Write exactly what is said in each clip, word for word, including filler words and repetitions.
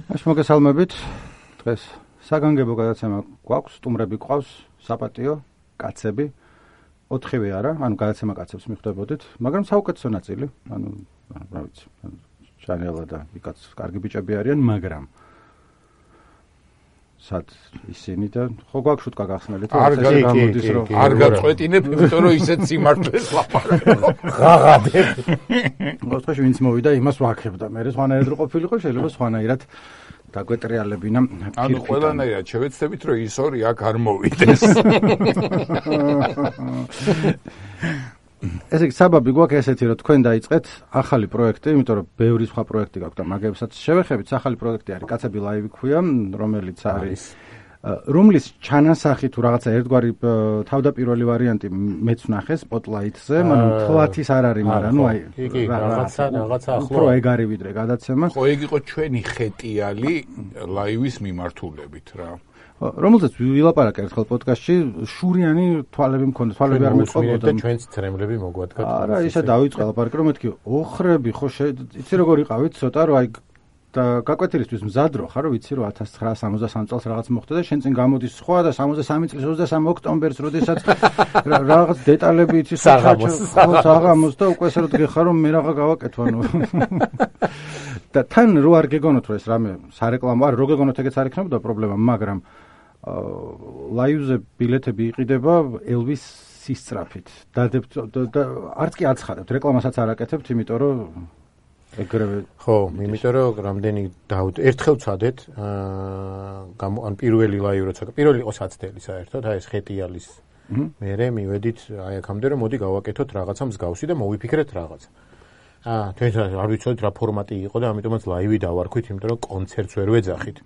მაშ მოგესალმებით. დღეს საგანგებო გადაცემა გვაქვს, სტუმრები გვყავს, საპატიო კაცები. ოთხივე არა, ანუ გადაცემა კაცებს მიხვდებოდით, მაგრამ საუკეთესო ნაწილი, ანუ რა ვიცი, ჩანელა და იქაც კარგი ბიჭები არიან, მაგრამ სად ისინი და ხო გვაქვს შუტკა გახსნელით, არ გამოდის რომ არ გაწყვეტინებ, იმიტომ რომ ისეთ სიმართლეს ლაპარაკობ. ღაღადებ. მოხდა ვინც მოვიდა, იმას ვაქებდა. მე სხვანაირად რო ყოფილიყო, შეიძლება სხვანაირად დაგვეტრიალებინა. ანუ ყველანაირად შევეცდებით, რომ ის ორი აქ არ მოვიდეს. ესე იგი, საბაბი გვაქვს ესეთი, რომ თქვენ დაიწყეთ ახალი პროექტი, იმიტომ რომ ბევრი სხვა პროექტი გაქვთ და მაგებსაც შევეხებით. ახალი პროექტი არის კაცები ლაივი ქვია, რომელიც არის რომლის ჩანასახი თუ რაღაცა ერთგვარი თავდაპირველი ვარიანტი მეც ვნახე სპოტლაითზე, მაგრამ თლათის არ არის, მაგრამ ნუ აი რაღაცა რაღაცა ახლა უფრო ეგ არის ვიდრე გადაცემა. ხო, ეგ იყო ჩვენი ხეტიალი ლაივის მიმართულებით რა. რომელზეც ვილაპარაკე ერთხელ პოდკასტში, შურიანი თვალები მქონდა, თვალები არ მეწყობოდა. ჩვენც ცრემლები მოგვადგათ. არა, ისე დავიწყე ლაპარაკი, რომ მეთქი, ოხრები ხო იცი როგორ იყავით ცოტა, რომ აი და გაკვეთილისთვის მზადრო ხარ, რომ ვიცი რომ ათას ცხრაასა სამოცდასამ წელს რაღაც მოხდა და შენ წინ გამოდის სხვა და სამოცდასამი წლის ოცდასამი ოქტომბერს, როდესაც რაღაც დეტალები იცი საღამოს და უკვე ესე რომ გეხარ რომ მე რაღა გავაკეთო ანუ და თან რო არ გეგონოთ რომ ეს რამე სარეკლამო არ რო გეგონოთ ეგეც არ იქნებოდა პრობლემა, მაგრამ ლაივზე ბილეთები იყიდება ელვის სისწრაფით. დადებთ და არც კი აცხადებთ, რეკლამასაც არ აკეთებთ, იმიტომ რომ ეგრევე ხო, იმიტომ რომ რამდენი დავთ ერთხელ ვცადეთ, აა ან პირველი ლაივი როცა პირველი იყო საცდელი საერთოდ, აი ეს ხეტიალის. მერე მივედით აი აქამდე რომ მოდი გავაკეთოთ რაღაცა მსგავსი და მოვიფიქრეთ რაღაცა. აა თქვენ არ ვიცოდით რა ფორმატი იყო და ამიტომაც ლაივი დავარქვით, იმიტომ რომ კონცერტს ვერ ვეძახით.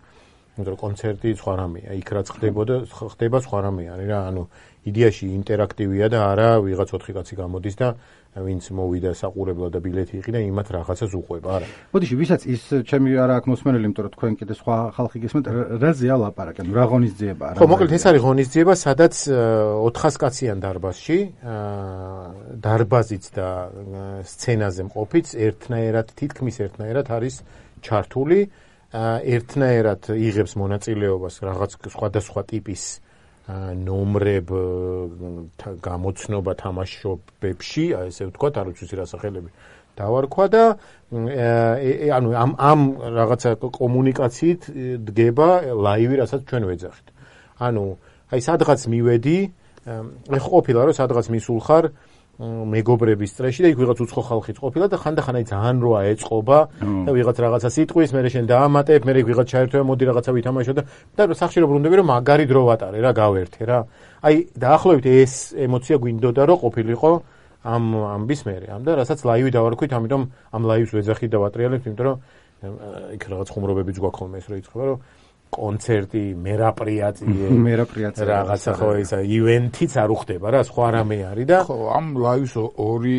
იმიტომ რომ კონცერტი სხვა რამეა, იქ რაც ხდებოდა, ხდება სხვა რამე არის რა, ანუ იდეაში ინტერაქტივია და არა ვიღაც ოთხი კაცი გამოდის და ვინც მოვიდა საყურებლად და ბილეთი იყიდა, იმათ რაღაცას უყვება, არა. ბოდიში, ვისაც ის ჩემი არა აქვს მოსმენელი, იმიტომ რომ თქვენ კიდე სხვა ხალხი გესმენთ, რაზეა ლაპარაკი, ანუ რა ღონისძიება არა. ხო, მოკლედ ეს არის ღონისძიება, სადაც ოთხას კაციან დარბაზში, დარბაზიც და სცენაზე მყოფიც ერთნაირად, თითქმის ერთნაირად არის ჩართული, ერთნაირად იღებს მონაწილეობას რაღაც სხვადასხვა ტიპის ნომრებ გამოცნობა თამაშობებში, აი ესე ვთქვათ, არ ვიცი რა სახელები დავარქვა და ანუ ამ ამ რაღაცა კომუნიკაციით დგება ლაივი, რასაც ჩვენ ვეძახით. ანუ აი სადღაც მივედი, ეხლა ყოფილა რომ სადღაც მისულ ხარ მეგობრების წრეში და იქ ვიღაც უცხო ხალხიც ყოფილა და ხანდახან აი ძალიან როა ეწყობა და ვიღაც რაღაცა სიტყვის, მე შენ დაამატებ, მე ვიღაც ჩაერთვე, მოდი რაღაცა ვითამაშო და და სახში რომ ბრუნდები რომ მაგარი დრო ვატარე რა, გავერთე რა. აი დაახლოებით ეს ემოცია გვინდოდა რომ ყოფილიყო ამ ამბის მერე, ამ და რასაც ლაივი დავარქვით, ამიტომ ამ ლაივს ვეძახით და ვატრიალებთ, იმიტომ რომ იქ რაღაც ხუმრობებიც გვაქვს ხოლმე ეს რო იწყება რომ კონცერტი, მერაპრიატიე, მერაპრიატიე რაღაცა ხო ისა ივენთიც არ უხდება რა, სხვა რამე არის და ხო, ამ ლაივის ორი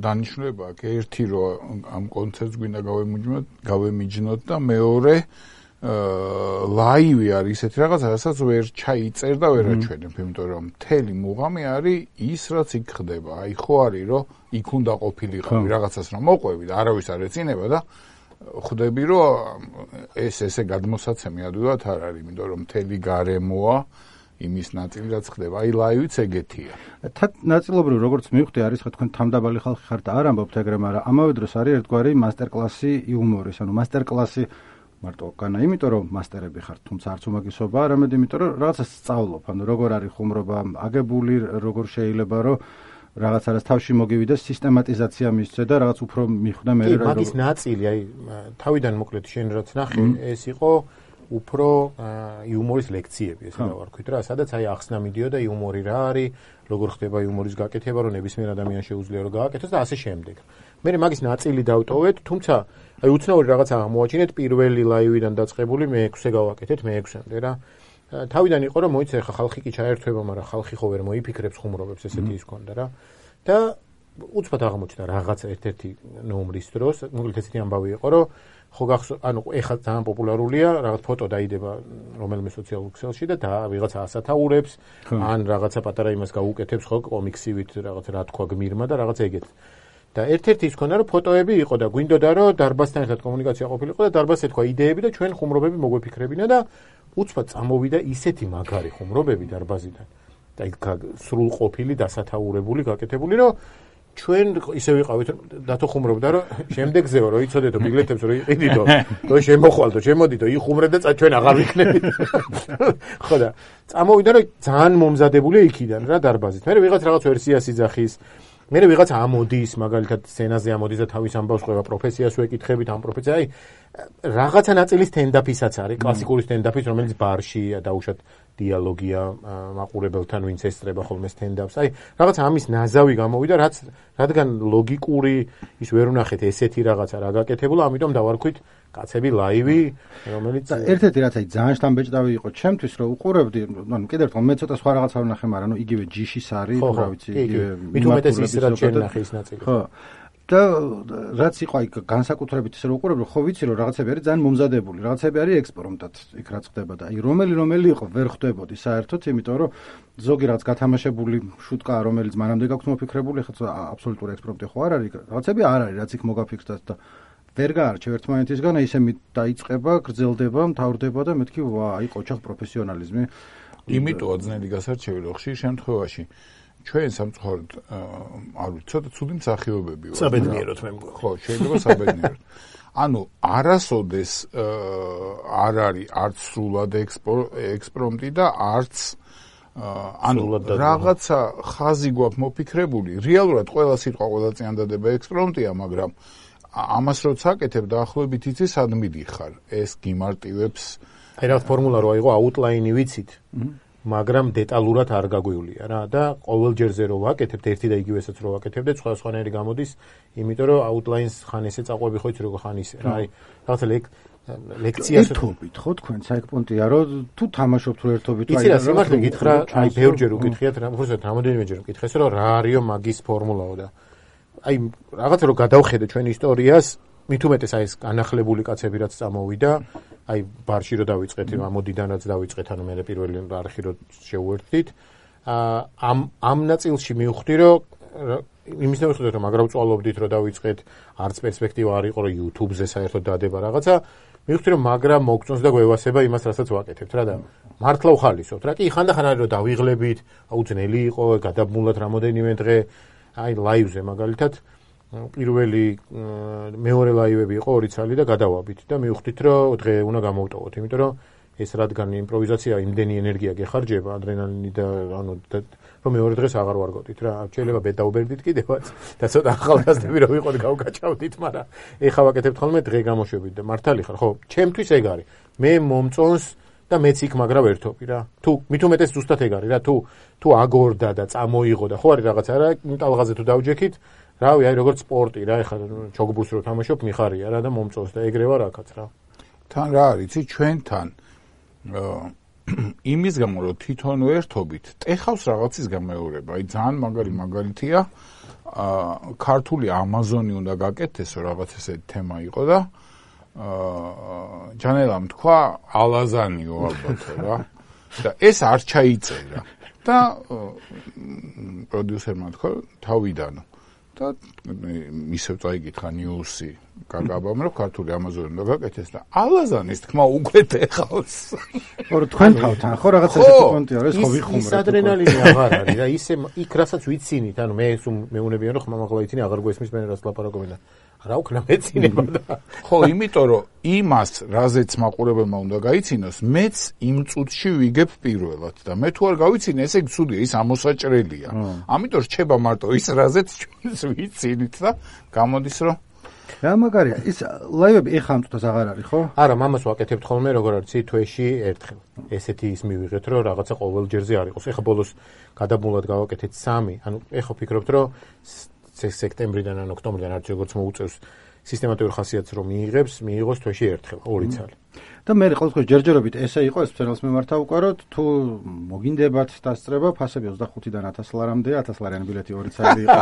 დანიშნულება აქვს. ერთი რომ ამ კონცერტს გვინდა გავემიჯნოთ, გავემიჯნოთ და მეორე ლაივი არის ისეთი რაღაცა, რასაც ვერ ჩაიწერ და ვერ აჩვენებ, იმიტომ რომ მთელი მუღამი არის ის, რაც იქ ხდება. აი ხო არის რომ იქ უნდა ყოფილიყავი, რაღაცას რომ მოყვევი და არავის არ ეცინება და ხვდები რომ ეს ესე გადმოსაცემი ადვილად არ არის, იმიტომ რომ მთელი გარემოა იმის ნაწილი რაც ხდება. აი ლაივიც ეგეთია. ნაწილობრივ როგორც მივხვდი არის ხო თქვენ თამდაბალი ხალხი ხართ და არ ამბობთ ეგრე, მაგრამ ამავე დროს არის ერთგვარი მასტერკლასი იუმორის, ანუ მასტერკლასი მარტო განა, იმიტომ რომ მასტერები ხართ, თუმცა არც უმაგისობა, არამედ იმიტომ რომ რაღაცას სწავლობ, ანუ როგორ არის ხუმრობა აგებული, როგორ შეიძლება რომ რაღაც არის თავში მოგივიდეს სისტემატიზაცია მისცე და რაღაც უფრო მიხვდა მე რა. კი, მაგის ნაწილი, აი თავიდან მოკლედ შენ რაც ნახე, ეს იყო უფრო იუმორის ლექციები, ესე დავარქვით რა, სადაც აი ახსნა მიდიოდა იუმორი რა არის, როგორ ხდება იუმორის გაკეთება, რომ ნებისმიერ ადამიანს შეუძლია რომ გააკეთოს და ასე შემდეგ. მე მაგის ნაწილი დავტოვეთ, თუმცა აი უცნაური რაღაცა აღმოაჩინეთ პირველი ლაივიდან დაწყებული მეექვსე გავაკეთეთ, მეექვსემდე რა. თავიდან იყო რომ მოიცა ხა ხალხი კი ჩაერთვება, მაგრამ ხალხი ხო ვერ მოიფიქრებს ხუმრობებს, ესეთი ის ქონდა რა. და უცბად აღმოჩნდა რაღაცა ერთ-ერთი ნომრის დროს, მოკლედ ესეთი ამბავი იყო, რომ ხო გახსოვ, ანუ ეხლა ძალიან პოპულარულია, რაღაც ფოტო დაიდება რომელიმე სოციალურ ქსელში და და ვიღაცა ასათაურებს, ან რაღაცა პატარა იმას გაუკეთებს ხო კომიქსივით, რაღაც რა თქვა გმირმა და რაღაც ეგეთ. და ერთ-ერთი ის ქონდა რომ ფოტოები იყო და გვინდოდა რომ დარბაზთან ერთად კომუნიკაცია ყოფილიყო და დარბაზს ეთქვა იდეები და ჩვენ ხუმრობები მოგვეფიქრებინა და უცბად წამოვიდა ისეთი მაგარი ხუმრობები დარბაზიდან და იქ სრულყოფილი დასათაურებული გაკეთებული რომ ჩვენ ისე ვიყავით დათო ხუმრობდა რომ შემდეგზეო რომ იცოდეთო ბილეთებს რომ იყიდიდო და შემოხვალდო შემოდიდო იხუმრე და ჩვენ აღარ ვიქნებით ხო და წამოვიდა რომ ძალიან მომზადებული იქიდან რა დარბაზით მე ვიღაც რაღაც ვერსიას იძახის მე ვიღაც ამოდის მაგალითად სცენაზე ამოდის და თავის ამბავს ყვება პროფესიას ვეკითხებით ამ პროფესია აი რაღაცა ნაწილი სტენდაფისაც არის კლასიკური სტენდაფის რომელიც ბარშია დაუშვათ დიალოგია მაყურებელთან ვინც ესწრება ხოლმე სტენდაპს აი რაღაც ამის ნაზავი გამოვიდა რაც რადგან ლოგიკური ის ვერ უნახეთ ესეთი რაღაცა რა გაკეთებულა ამიტომ დავარქვით კაცები ლაივი რომელიც ერთ-ერთი რაც აი ძალიან შთამბეჭდავი იყო ჩემთვის რომ უყურებდი ანუ კიდევ ერთხელ მე ცოტა სხვა რაღაცა ვნახე მაგრამ ნუ იგივე ჯიშის არის რა ვიცი იგივე მით უმეტეს ის რაც ჩვენ ნახე ის ნაწილი ხო და რაც იყო აი განსაკუთრებით ისე რომ უყურებდი ხო ვიცი რომ რაღაცები არის ძალიან მომზადებული რაღაცები არის ექსპრომტად იქ რაც ხდება და აი რომელი რომელი იყო ვერ ხვდებოდი საერთოდ იმიტომ რომ ზოგი რაღაც გათამაშებული შუტკა რომელიც მანამდე გაქვს მოფიქრებული ხა აბსოლუტური ექსპრომტი ხო არ არის რაღაცები არ არის რაც იქ მოგაფიქრდათ და ვერ გაარჩევ ერთმანეთისგან ისე დაიწყება გრძელდება მთავრდება და მეთქი ვა აი ყოჩახ პროფესიონალიზმი იმიტოა ძნელი გასარჩევი რომ ხშირ შემთხვევაში ჩვენ სამწუხაროდ არ ვიცი ცოტა ცუდი მსახიობები ვართ საბედნიეროდ მე მგონი ხო შეიძლება საბედნიეროდ ანუ არასოდეს არ არის არც სრულად ექსპრომტი და არც ანუ რაღაცა ხაზი გვაქვს მოფიქრებული რეალურად ყველა სიტყვა ყველა წინადადება ექსპრომტია მაგრამ ამას როცა აკეთებ დაახლოებით იცი სად მიდიხარ ეს გიმარტივებს აი რა ფორმულა რო აიღო აუტლაინი ვიცით მაგრამ დეტალურად არ გაგვივლია რა და ყოველ ჯერზე რო ვაკეთებთ ერთი და იგივესაც რო ვაკეთებდეთ სხვა სხვანაირი გამოდის იმიტომ რომ აუტლაინს ხან ესე წაყვები ხო იცი როგორ ხან ისე რა აი რაღაცა ლექციას ერთობით ხო თქვენ საერთოდ რომ თუ თამაშობთ რო ერთობით აი რა სიმართლე გითხრა აი ბევრჯერ უკითხიათ რა უბრალოდ რამოდენიმეჯერ უკითხეს რომ რა არისო მაგის ფორმულაო და აი რაღაცა რო გადავხედე ჩვენ ისტორიას მით უმეტეს აი ეს განახლებული კაცები რაც წამოვიდა აი ბარში რო დავიწყეთ ამოდიდან რაც დავიწყეთ ანუ მე პირველი არხი რო შევუერთდით ამ ამ ნაწილში მივხვდი რომ იმის დავიწყეთ რომ მაგრა ვწვალობდით რომ დავიწყეთ არც პერსპექტივა არ იყო რომ YouTube-ზე საერთოდ დადება რაღაცა მივხვდი რომ მაგრა მოგწონს და გვევასება იმას რასაც ვაკეთებთ რა და მართლა უხალისოთ რა კი ხანდახან არის რომ დავიღლებით აუძნელი იყო გადაბმულად რამოდენიმე დღე აი ლაივზე მაგალითად პირველი მეორე ლაივები იყო ორი წელი და გადავაბით და მივხვდით რომ დღე უნდა გამოვტოვოთ იმიტომ რომ ეს რადგან იმპროვიზაცია იმდენი ენერგია გეხარჯება ადრენალინი და ანუ რომ მეორე დღეს აღარ ვარგავდით რა შეიძლება ბედაუბერდით კიდევაც და ცოტა ახალგაზრდები რომ ვიყოთ გავკაჭავდით მაგრამ ეხა ვაკეთებთ ხოლმე დღე გამოშვებით და მართალი ხარ ხო ჩემთვის ეგ არის მე მომწონს და მეც იქ მაგრა ვერთობი რა თუ მით უმეტეს ზუსტად ეგ არის რა თუ თუ აგორდა და წამოიღო და ხო არის რაღაცა რა ტალღაზე თუ დავჯექით რავი აი როგორც სპორტი რა ეხლა ჩოგბურს რო თამაშობ მიხარია რა და მომწონს და ეგრევა რაკაც რა თან რა არის იცი ჩვენთან იმის გამო რომ თვითონ ვერთობით ტეხავს რაღაცის გამეორება აი ძალიან მაგარი მაგალითია ქართული ამაზონი უნდა გაკეთდეს რაღაც ესეთი თემა იყო და ჯანელამ თქვა ალაზანიო ალბათ რა და ეს არ ჩაიწერა და პროდიუსერმა თქვა თავიდანო და ისევ წაიკითხა ნიუსი გაგაბამ რომ ქართული ამაზონი უნდა გაკეთდეს და ალაზანის თქმა უკვე ეხავს ხო თქვენ თავთან ხო რაღაცა ესეთი პონტი არის ხო ვიხუმრეთ ის ადრენალინი აღარ არის რა ისე იქ რასაც ვიცინით ანუ მე მეუნებიან რომ ხმამაღლა იცინი აღარ გვესმის მე რაც ლაპარაკობენ და რა უკნა მეცინება და ხო იმიტომ რომ იმას რაზეც მაყურებელმა უნდა გაიცინოს მეც იმ წუთში ვიგებ პირველად და მე თუ არ გავიცინე ესე ცუდია ის ამოსაჭრელია ამიტომ რჩება მარტო ის რაზეც ჩვენს ვიცინით და გამოდის რომ რა მაგარია ის ლაივები ეხა ამ წუთას აღარ არის ხო არა მამას ვაკეთებთ ხოლმე როგორ არის თვეში ერთხელ ესეთი ის მივიღეთ რომ რაღაცა ყოველ ჯერზე არ იყოს ეხა ბოლოს გადაბმულად გავაკეთეთ სამი ანუ ეხა ვფიქრობთ რომ სექტემბრიდან ან ოქტომბრიდან არც როგორც მოუწევს სისტემატურ ხასიათს რომ მიიღებს, მიიღოს თვეში ერთხელ, ორი წელი. და მე ყოველთვის ჯერჯერობით ესე იყო ეს ფენელს მიმართა უკვე რომ თუ მოგინდებათ დასწრება ფასები ოცდახუთიდან ათას ლარამდე ათას ლარიანი ბილეთი ორი წელი იყო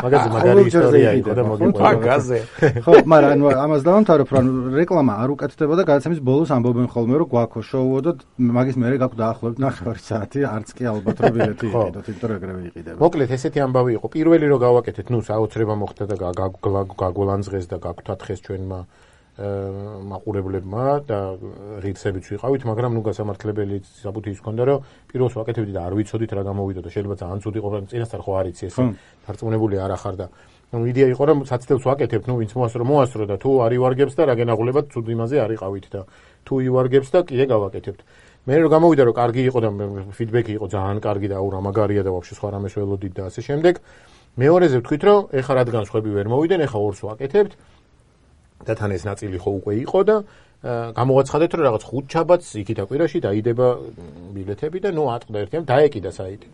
მაგაზე მაგარი ისტორია იყო და მოგიყვება მაგაზე ხო მაგრამ ანუ ამას დავამთავრებ რომ რეკლამა არ უკეთდება და გადაცემის ბოლოს ამბობენ ხოლმე რომ გვაქვს შოუო და მაგის მერე გაქვს დაახლოებით ნახევარი საათი არც კი ალბათ რომ ბილეთი იყიდოთ იმიტომ რომ ეგრევე იყიდება მოკლედ ესეთი ამბავი იყო პირველი რომ გავაკეთეთ ნუ საოცრება მოხდა და გაგოლანძღეს და გაგთათხეს ჩვენმა მაყურებლებმა და ღირსებიც ვიყავით, მაგრამ ნუ გასამართლებელი საბუთი ის ქონდა, რომ პირველს ვაკეთებდი და არ ვიცოდით რა გამოვიდა და შეიძლება ძალიან ცუდი იყო, მაგრამ წინასწარ ხო არ იცი ეს დარწმუნებული არ ახარ და ნუ იდეა იყო, რომ საცდელს ვაკეთებთ, ნუ ვინც მოასწრო, მოასწრო და თუ არ ივარგებს და რა გენაღულებად ცუდ იმაზე არ იყავით და თუ ივარგებს და კიდე გავაკეთებთ. მე რომ გამოვიდა რომ კარგი იყო და ფიდბექი იყო ძალიან კარგი და აურა მაგარია და ვაფშე სხვა რამეს ველოდით და ასე შემდეგ. მეორეზე ვთქვით, რომ ეხა რადგან სხვები ვერ მოვიდნენ, ეხა ორს ვაკეთებთ. და თან ეს ნაწილი ხო უკვე იყო და გამოვაცხადეთ რომ რაღაც ხუთ ჩაბათს იქით აკვირაში დაიდება ბილეთები და ნუ ატყდა ერთიან დაეკიდა საიტი.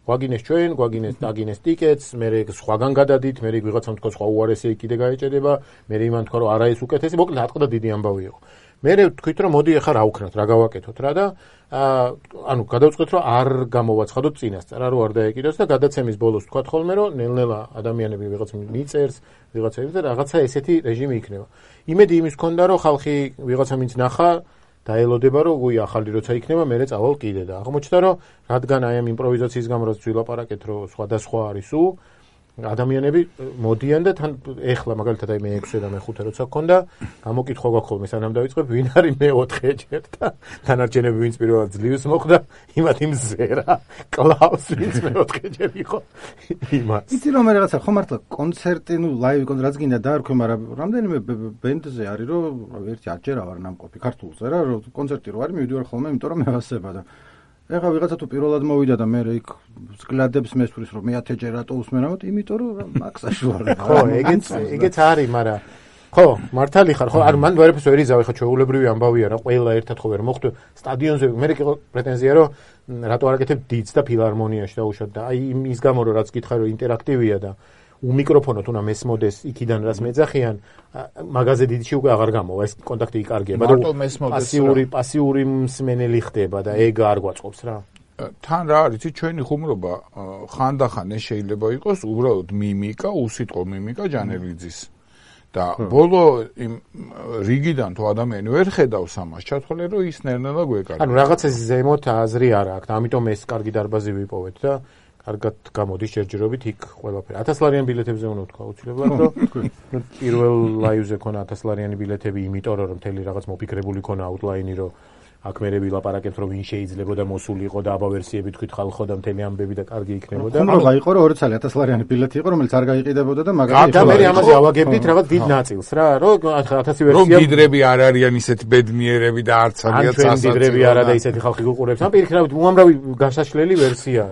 გვაგინეს ჩვენ, გვაგინეს დაგინეს ტიკეტს, მე სხვაგან გადადით, მე ვიღაცამ თქვა სხვა უარესი კიდე გაეჭედება, მე იმან თქვა რომ არა ეს უკეთესი, მოკლედ ატყდა დიდი ამბავი იყო. მე ვთქვით რომ მოდი ახლა რა ვქნათ, რა გავაკეთოთ რა და ანუ გადავწყვეტ რომ არ გამოვაცხადოთ წინასწარ, რომ არ დაეკიდოს და გადაცემის ბოლოს თქვა ხოლმე რომ ნელ-ნელა ადამიანები ვიღაც მიწერს, ვიღაცები და რაღაცა ესეთი რეჟიმი იქნება. იმედი იმის ქონდა რომ ხალხი ვიღაცა მინც ნახა დაელოდება რომ უი ახალი როცა იქნება მე წავალ კიდე და აღმოჩნდა რომ რადგან აი ამ იმპროვიზაციის გამო რაც ვილაპარაკეთ რომ სხვადასხვა არის უ ადამიანები მოდიან და თან ეხლა მაგალითად აი მე ექვსე და მე ხუთე როცა გქონდა გამოკითხვა გვაქვს ხოლმე სანამ დავიწყებ ვინ არის მეოთხე ჯერ და დანარჩენები ვინც პირველად ძლივს მოხდა იმათ იმ ზერა კლავს ვინც მეოთხე ჯერ იყო იმას იცი რომ მე რაღაცა ხო მართლა კონცერტი ნუ ლაივი კონცერტი რაც გინდა დაარქვი მაგრამ რამდენიმე ბენდზე არის რომ ერთი არჯერა ვარ ნამყოფი ქართულზე რა რომ კონცერტი რო არის მივიდივარ ხოლმე იმიტომ რომ მევასება და ეხლა ვიღაცა თუ პირველად მოვიდა და მე იქ სკლადებს მესვრის რომ მე ათჯერ რატო უსმენავთ იმიტომ რომ მაქსაში ვარ ხო ეგეც ეგეც არის მაგრამ ხო მართალი ხარ ხო არ მან ვერაფერს ვერ იზავ ეხლა ჩვეულებრივი ამბავია რა ყველა ერთად ხო ვერ მოხდე სტადიონზე მე იყო პრეტენზია რომ რატო არ აკეთებ დიც და ფილარმონიაში დაუშვათ და აი ის გამო რომ რაც გითხარ რომ ინტერაქტივია და უმიკროფონოთ უნდა მესმოდეს იქიდან რაც მეძახიან მაგაზე დიდში უკვე აღარ გამოვა ეს კონტაქტი იკარგია მარტო მესმოდეს პასიური პასიური მსმენელი ხდება და ეგ არ გვაწყობს რა თან რა არის ჩვენი ხუმრობა ხანდახან ეს შეიძლება იყოს უბრალოდ მიმიკა უსიტყვო მიმიკა ჯანელიძის და ბოლო იმ რიგიდან თუ ადამიანი ვერ ხედავს ამას ჩათვალე რომ ის ნერნელა გვეკარგა ანუ რაღაც ეს ზემოთ აზრი არ აქვს და ამიტომ ეს კარგი დარბაზი ვიპოვეთ და კარგად გამოდის ჯერჯერობით იქ ყველაფერი. ათას ლარიან ბილეთებზე უნდა ვთქვა აუცილებლად, რომ პირველ ლაივზე ქონა ათას ლარიანი ბილეთები, იმიტომ რომ მთელი რაღაც მოფიქრებული ქონა აუტლაინი, რომ აქ მე ვილაპარაკებთ, რომ ვინ შეიძლებოდა მოსულიყო და აბა ვერსიები თქვით ხალხო და მთელი ამბები და კარგი იქნებოდა. ხუმრობა იყო რომ ორი წელი ათას ლარიანი ბილეთი იყო, რომელიც არ გაიყიდებოდა და მაგალითად და მე ამაზე ავაგებდით რაღაც დიდ ნაწილს რა, რომ ათასი ვერსია. რომ დიდრები არ არიან ისეთი ბედნიერები და არც არიან წასაწევი. დიდრები არა და ისეთი ხალხი გუყურებს. ამ პირიქით უამრავი გასაშლელი ვერსია.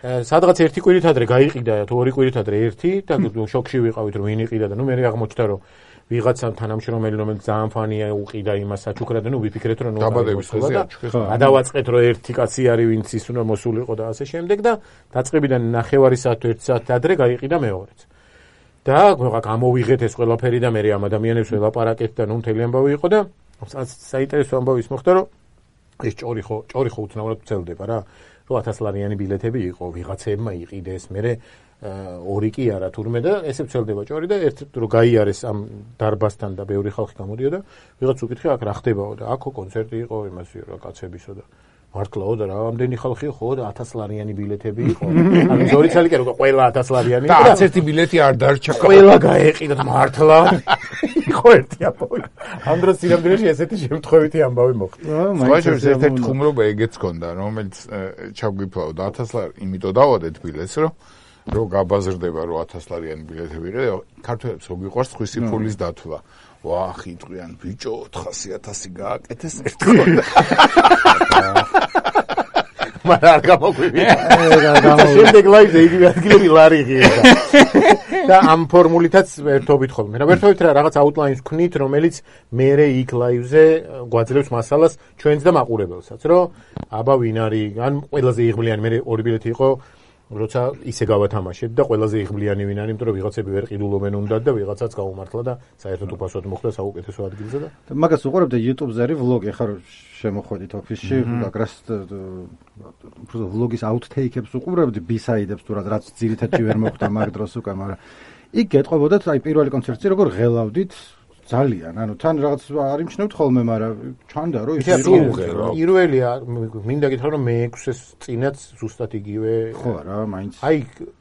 სადღაც ერთი კვირით ადრე გაიყიდა თუ ორი კვირით ადრე ერთი და შოქში ვიყავით რომ ვინ იყიდა და ნუ მე აღმოჩნდა რომ ვიღაცა თანამშრომელი რომელიც ძალიან ფანია უყიდა იმას საჩუქრად და ნუ ვიფიქრეთ რომ ნუ დაბადების დღეზე გადავაწყეთ რომ ერთი კაცი არის ვინც ის უნდა მოსულიყო და ასე შემდეგ და დაწყებიდან ნახევარი საათ თუ ერთი საათი ადრე გაიყიდა მეორეც და გამოვიღეთ ეს ყველაფერი და მე ამ ადამიანებს ველაპარაკეთ და ნუ მთელი ამბავი იყო და საინტერესო ამბავი ის მოხდა რომ ეს ჭორი ხო ჭორი ხო უცნაურად ვცელდება რა რომ ათას ლარიანი ბილეთები იყო ვიღაცებმა იყიდეს მე ორი კი არა თურმე და ესე ვცელდება ჭორი და ერთ რო გაიარეს ამ დარბასთან და ბევრი ხალხი გამოდიოდა ვიღაც უკითხე აქ რა ხდებაო და აქო კონცერტი იყო იმასიო რა კაცებისო და მართლაო და რა ამდენი ხალხი ხო და ათას ლარიანი ბილეთები იყო ანუ ზორი ცალი კი რო ყველა ათას ლარიანი და არც ერთი ბილეთი არ დარჩა ყველა გაეყიდა მართლა იყო ერთი ამბავი ამ დროს სინამდვილეში ესეთი შემთხვევითი ამბავი მოხდა სხვაშორის ერთ-ერთი ხუმრობა ეგეც ქონდა რომელიც ჩავგიფლავ და ათას ლარი იმიტომ დავადეთ ბილეთს რომ რო გაბაზრდება რომ ათას ლარიანი ბილეთები იყო ქართველებს რო გიყვარს ხვისი ფულის დათვლა ვახ იტყვიან ბიჭო ოთხასი ათასი გააკეთეს ერთხელ მაგრამ არ გამოგვივიდა შემდეგ ლაივზე იგივე ადგილები ლარი ღირდა და ამ ფორმულითაც ერთობით ხოლმე რა ერთობით რა რაღაც აუტლაინს ვქნით რომელიც მერე იქ ლაივზე გვაძლევს მასალას ჩვენც და მაყურებელსაც რომ აბა ვინ არის ან ყველაზე იღბლიანი მერე ორი ბილეთი იყო როცა ისე გავათამაშეთ და ყველაზე იღბლიანი ვინ არის, იმიტომ რომ ვიღაცები ვერ ყიდულობენ უნდათ და ვიღაცაც გამომართლა და საერთოდ უფასოდ მოხდა საუკეთესო ადგილზე და მაგას უყურებთ YouTube-ზე არის ვლოგი, ხარ შემოხვედით ოფისში, აგრას უბრალოდ ვლოგის აუთთეიქებს უყურებთ, ბისაიდებს თუ რაც ძირითადად ვერ მოხდა მაგ დროს უკვე, მაგრამ იქ გეტყობოდათ აი პირველი კონცერტი როგორ ღელავდით ძალიან, ანუ თან რაღაც არ იმჩნევთ ხოლმე, მაგრამ ჩანდა რომ ის პირველი მინდა გითხრა რომ მეექვსეს წინაც ზუსტად იგივე ხო რა, მაინც აი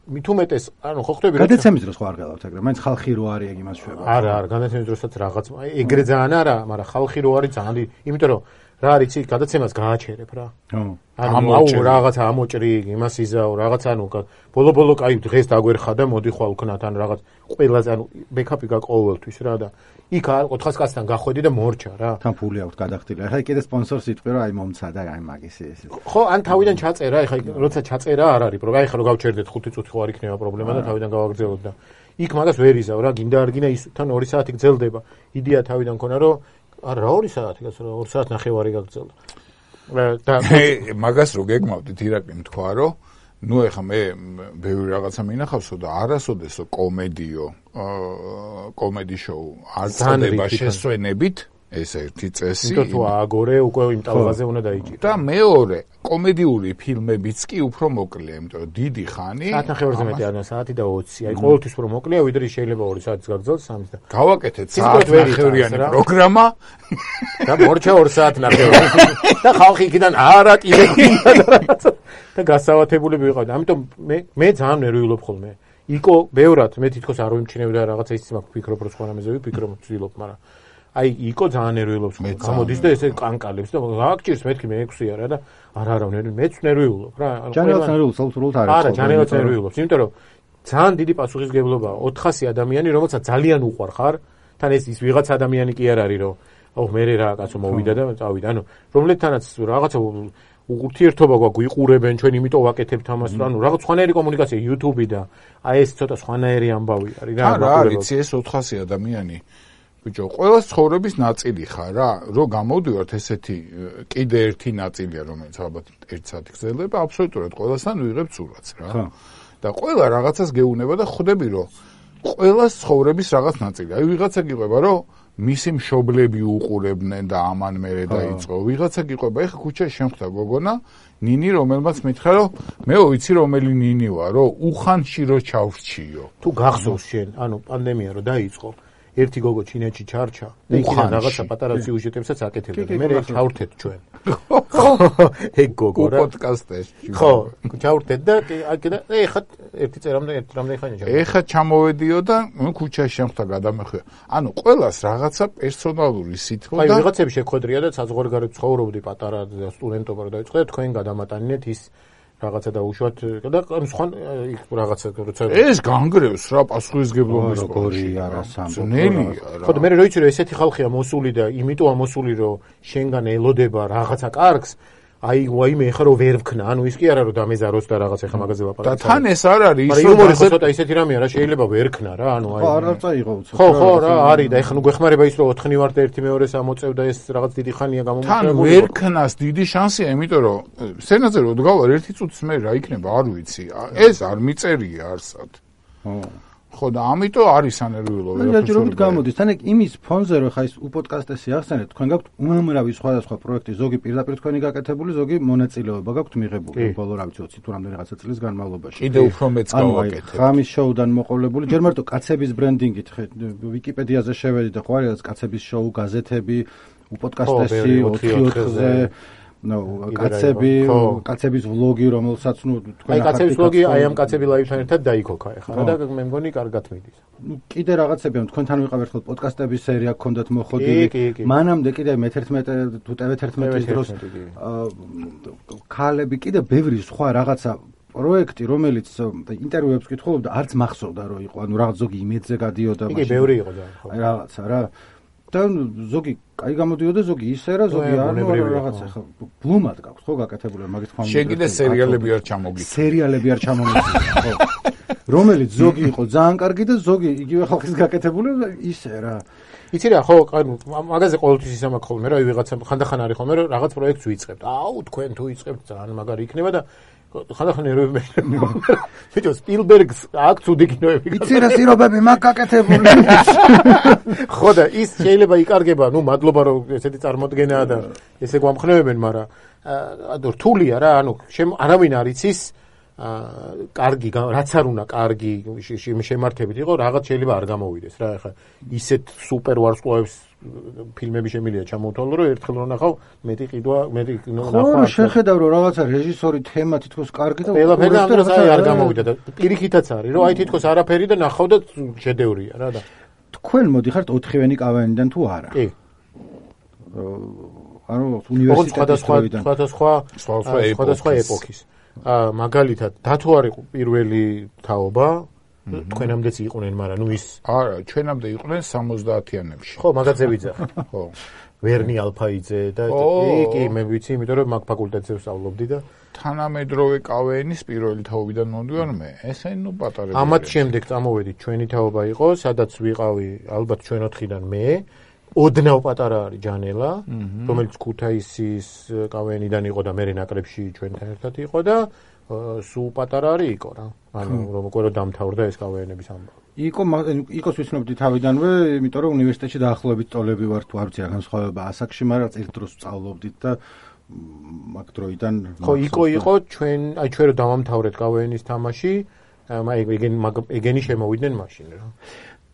მით უმეტეს, ანუ ხო ხვდები რა გადაცემის დროს ხო არ გელავთ ეგრე, მაინც ხალხი რო არის ეგ იმას შვება. არა, არა, გადაცემის დროსაც რაღაც ეგრე ძალიან არა, მაგრამ ხალხი რო არის ძალიან, იმიტომ რომ რა არის იცი, გადაცემას გააჩერებ რა. ხო. ანუ აუ რაღაცა ამოჭრი, იმას იზაო, რაღაც ანუ ბოლო-ბოლო კაი დღეს დაგვერხა და მოდი ხვალ ვქნათ, ან რაღაც ყველაზე ანუ ბექაპი გაყოველთვის რა და იქ ოთხას კაცთან გახვედი და მორჩა რა. თან ფული აქვს გადახდილი. ახლა კიდე სპონსორს იტყვი რომ აი მომცადა აი მაგის ეს. ხო, ან თავიდან ჩაწერა, ახლა როცა ჩაწერა არ არის პრობლემა, ახლა რო გავჩერდეთ ხუთი წუთი ხო არ იქნება პრობლემა და თავიდან გავაგრძელოთ და იქ მაგას ვერ იზავ რა, გინდა არ გინდა ის თან ორი საათი გრძელდება. იდეა თავიდან ქონა რომ არა რა ორი საათი გასა ორი საათი ნახევარი გაგრძელდა. და მაგას რო გეგმავდით ირაკლი თქვა რომ ნუ ეხა მე ბევრი რაღაცა მინახავსო და არასოდესო კომედიო კომედი შოუ არ წდება შესვენებით ეს ერთი წესი. იმიტომ თუ ააგორე უკვე იმ ტალღაზე უნდა დაიჭირო. და მეორე კომედიური ფილმებიც კი უფრო მოკლეა, იმიტომ რომ დიდი ხანი საათნახევარზე მეტი არა, საათი და ოცი. აი ყოველთვის უფრო მოკლეა, ვიდრე შეიძლება ორი საათის გაგრძელოს სამის და გავაკეთეთ საათნახევრიანი პროგრამა და მორჩა ორი საათნახევარი. და ხალხი იქიდან არა კიდე გინდა და რაღაცა და გასავათებული ვიყავდი. ამიტომ მე მე ძალიან ნერვიულობ ხოლმე. იკო ბევრად მე თითქოს არ ვიმჩნევდა რაღაცა ის მაგ ფიქრობ რომ სხვა რამეზე ვიფიქრო, ვცდილობ, მაგრამ აი იკო ძალიან ნერვიულობს, გამოდის და ესე კანკალებს და გააგჭირს მეთქი მე ექვსი არა და არა არა მეც ნერვიულობ რა. ჯანელს ნერვიულობს, აბსოლუტურად არა. არა, ჯანელს ნერვიულობს, იმიტომ რომ ძალიან დიდი პასუხისმგებლობაა ოთხასი ადამიანი, რომელსაც ძალიან უყვარ ხარ, თან ეს ის ვიღაც ადამიანი კი არ არის, რომ აუ მე რა კაცო მოვიდა და წავიდა, ანუ რომლეთანაც რაღაცა ურთიერთობა გვაქვს, ვიყურებენ ჩვენ, იმიტომ ვაკეთებთ ამას, ანუ რაღაც სხვანაირი კომუნიკაცია YouTube-ი და აი ეს ცოტა სხვანაირი ამბავი არის რა. რა არის ეს ოთხასი ადამიანი? ბიჭო, ყველა ცხოვრების ნაწილი ხარ რა, რომ გამოვდივართ ესეთი კიდე ერთი ნაწილია, რომელიც ალბათ ერთი საათი გრძელდება, აბსოლუტურად ყველასთან ვიღებ სურათს რა. და ყველა რაღაცას გეუნება და ხვდები, რომ ყველა ცხოვრების რაღაც ნაწილი. აი ვიღაცა გიყვება, რომ მისი მშობლები უყურებდნენ და ამან მერე დაიწყო. ვიღაცა გიყვება, ეხა ქუჩაში შემხვდა გოგონა, ნინი, რომელმაც მითხრა, რომ მე ვიცი რომელი ნინი ვარ, რომ უხანში რო ჩავრჩიო. თუ გახსოვს შენ, ანუ პანდემია რო დაიწყო, ერთი გოგო ჩინეთში ჩარჩა და იქიდან რაღაცა პატარა სიუჟეტებსაც აკეთებდა. მე ჩავრთეთ ჩვენ. ხო, ეგ გოგო რა. პოდკასტში. ხო, ჩავრთეთ და აკედა ეხა ერთი წერამდე ერთი რამდენი ხანია ჩავ. ეხა ჩამოვედიო და ქუჩაში შემხთა გადამეხვია. ანუ ყველას რაღაცა პერსონალური სითბო და აი ვიღაცები შეხვედრია და საზღვარგარეთ ცხოვრობდი პატარა სტუდენტობა რა დაიწყო და თქვენ გადამატანინეთ ის რაღაცა დაუშვათ და სხვა რაღაცა როცა ეს განგრევს რა პასუხისმგებლობის როგორი არა სამწნელი რა. ხო და მე რო იცი რომ ესეთი ხალხია მოსული და იმიტომ ამოსული რომ შენგან ელოდება რაღაცა კარგს, აი ვაიმე ხა რომ ვერ ვქნა, ანუ ის კი არა რომ დამეზაროს და რაღაც ეხა მაგაზე ლაპარაკი. და თან ეს არ არის ის რომ ცოტა ისეთი რამეა რა, შეიძლება ვერ ქნა რა, ანუ აი ხო არ არ წაიღო უცებ. ხო ხო რა არის და ეხა ნუ გვეხმარება ის რომ ოთხნი ვარ და ერთი მეორეს ამოწევ და ეს რაღაც დიდი ხანია გამომწევი. თან ვერ ქნას დიდი შანსია, იმიტომ რომ სცენაზე რო დგავარ ერთი წუთის მე რა იქნება არ ვიცი. ეს არ მიწერია არსად. ხო. ხო და ამიტომ არის ანერვიულობა. მე ჯერჯერობით გამოდის. თან ეგ იმის ფონზე რომ ხა ის უპოდკასტესი ახსენეთ, თქვენ გაქვთ უამრავი სხვადასხვა პროექტი, ზოგი პირდაპირ თქვენი გაკეთებული, ზოგი მონაწილეობა გაქვთ მიღებული. ბოლო რა ვიცი ოცი თუ რამდენი რაღაცა წლის განმავლობაში. კიდე უფრო მეც გავაკეთებ. ხამის შოუდან მოყოლებული, ჯერ მარტო კაცების ბრენდინგით ვიკიპედიაზე შევედი და ხო არის კაცების შოუ, გაზეთები, უპოდკასტესი ოთხი ოთხზე ნუ კაცები, კაცების ვლოგი, რომელსაც ნუ თქვენ აი კაცების ვლოგი აი ამ კაცები ლაივთან ერთად დაიქოქა ეხლა და მე მგონი კარგად მიდის. ნუ კიდე რაღაცები ამ თქვენთან ვიყავ ერთხელ პოდკასტების სერია გქონდათ მოხდილი. მანამდე კიდე მე თერთმეტე თუ ტევ თერთმეტის დროს ქალები კიდე ბევრი სხვა რაღაცა პროექტი, რომელიც ინტერვიუებს კითხულობდა, არც მახსოვდა რომ იყო, ანუ რაღაც ზოგი იმედზე გადიოდა მაშინ. იგი ბევრი იყო და ხო. აი რაღაცა რა და ზოგი კაი გამოდიოდა, ზოგი ისე რა, ზოგი არ რაღაცა ხო ბლუმად გაქვს ხო გაკეთებული მაგის თქმა უნდა. შენ კიდე სერიალები არ ჩამოგიწევ. სერიალები არ ჩამომიწევ, ხო. რომელიც ზოგი იყო ძალიან კარგი და ზოგი იგივე ხალხის გაკეთებული ისე რა. იცი რა, ხო, მაგაზე ყოველთვის ისა მაქვს ხოლმე რა, ვიღაცა ხანდახან არის ხოლმე რომ რაღაც პროექტს ვიწყებთ. აუ, თქვენ თუ იწყებთ ძალიან მაგარი იქნება და ხანდახან ნერვები მეტო სპილბერგს აქვს უდი კინოები. იცი რა სირობები მაგ გაკეთებული. ხო და ის შეიძლება იკარგება, ნუ მადლობა რომ ესეთი წარმოდგენაა და ესე გვამხნევებენ, მაგრამ ანუ რთულია რა, ანუ არავინ არ იცის კარგი, რაც არ უნდა კარგი შემართებით იყო, რაღაც შეიძლება არ გამოვიდეს რა. ეხლა ისეთ სუპერ ვარსკვლავებს ფილმები შემიძლია ჩამოვთვალო, რომ ერთხელ რომ ნახავ, მეტი ყიდვა, მეტი ნახვა. ხო, შეხედავ რომ რაღაცა რეჟისორი თემა თითქოს კარგი და ყველაფერი ამას არ გამოვიდა და პირიქითაც არის, რომ აი თითქოს არაფერი და ნახავ და შედევრია რა და. თქვენ მოდიხართ ოთხივენი კავენიდან თუ არა? კი. ანუ უნივერსიტეტის დროიდან. სხვადასხვა სხვადასხვა ეპოქის. აა მაგალითად, დათო არ იყო პირველი თაობა, თქვენამდეც იყვნენ, მაგრამ ნუ ის არა, ჩვენამდე იყვნენ სამოცდაათიანებში. ხო, მაგაძევიძე. ხო. ვერნი ალფაიძე და კი, კი, მე ვიცი, იმიტომ რომ მაგ ფაკულტეტზე ვსწავლობდი და თანამედროვე კავენის პირველი თაობიდან მომდივარ მე. ესე ნუ პატარები. ამათ შემდეგ წამოვედით, ჩვენი თაობა იყო, სადაც ვიყავი ალბათ ჩვენ ოთხიდან მე. ოდნავ პატარა არის ჯანელა, რომელიც ქუთაისის კავენიდან იყო და მე ნაკრებში ჩვენთან ერთად იყო და სულ პატარა არის იყო რა. ანუ რომ უკვე რომ დამთავრდა ეს კავენების ამბავი. იყო იყოს ვიცნობდი თავიდანვე, იმიტომ რომ უნივერსიტეტში დაახლოებით წოლები ვარ თუ არ ვიცი რა განსხვავება ასაკში, მაგრამ ერთ დროს ვსწავლობდით და მაგ დროიდან ხო იყო იყო ჩვენ აი ჩვენ რომ დავამთავრეთ კავენის თამაში, აი ეგენი ეგენი შემოვიდნენ მაშინ რა.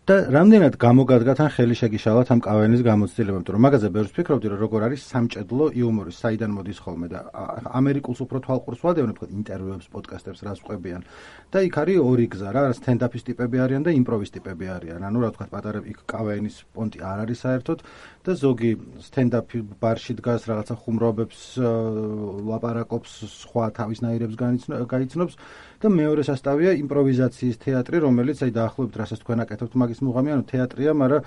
და რამდენად გამოგადგათ ან ხელი შეგიშალათ ამ კავენის გამოცდილება, იმიტომ რომ მაგაზე ბევრს ფიქრობდი, რომ როგორ არის სამჭედლო იუმორი, საიდან მოდის ხოლმე და ამერიკულს უფრო თვალყურს ვადევნებ, თქო, ინტერვიუებს, პოდკასტებს რას ვყვებიან. და იქ არის ორი გზა რა, სტენდაპის ტიპები არიან და იმპროვის ტიპები არიან. ანუ რა ვთქვათ, პატარა იქ კავენის პონტი არ არის საერთოდ და ზოგი სტენდაპი ბარში დგას, რაღაცა ხუმრობებს, ლაპარაკობს, სხვა თავისნაირებს გაიცნობს და მეორე სასტავია იმპროვიზაციის თეატრი, რომელიც აი დაახლოებით რასაც თქვენ აკეთებთ მაგის მუღამი, ანუ თეატრია, მაგრამ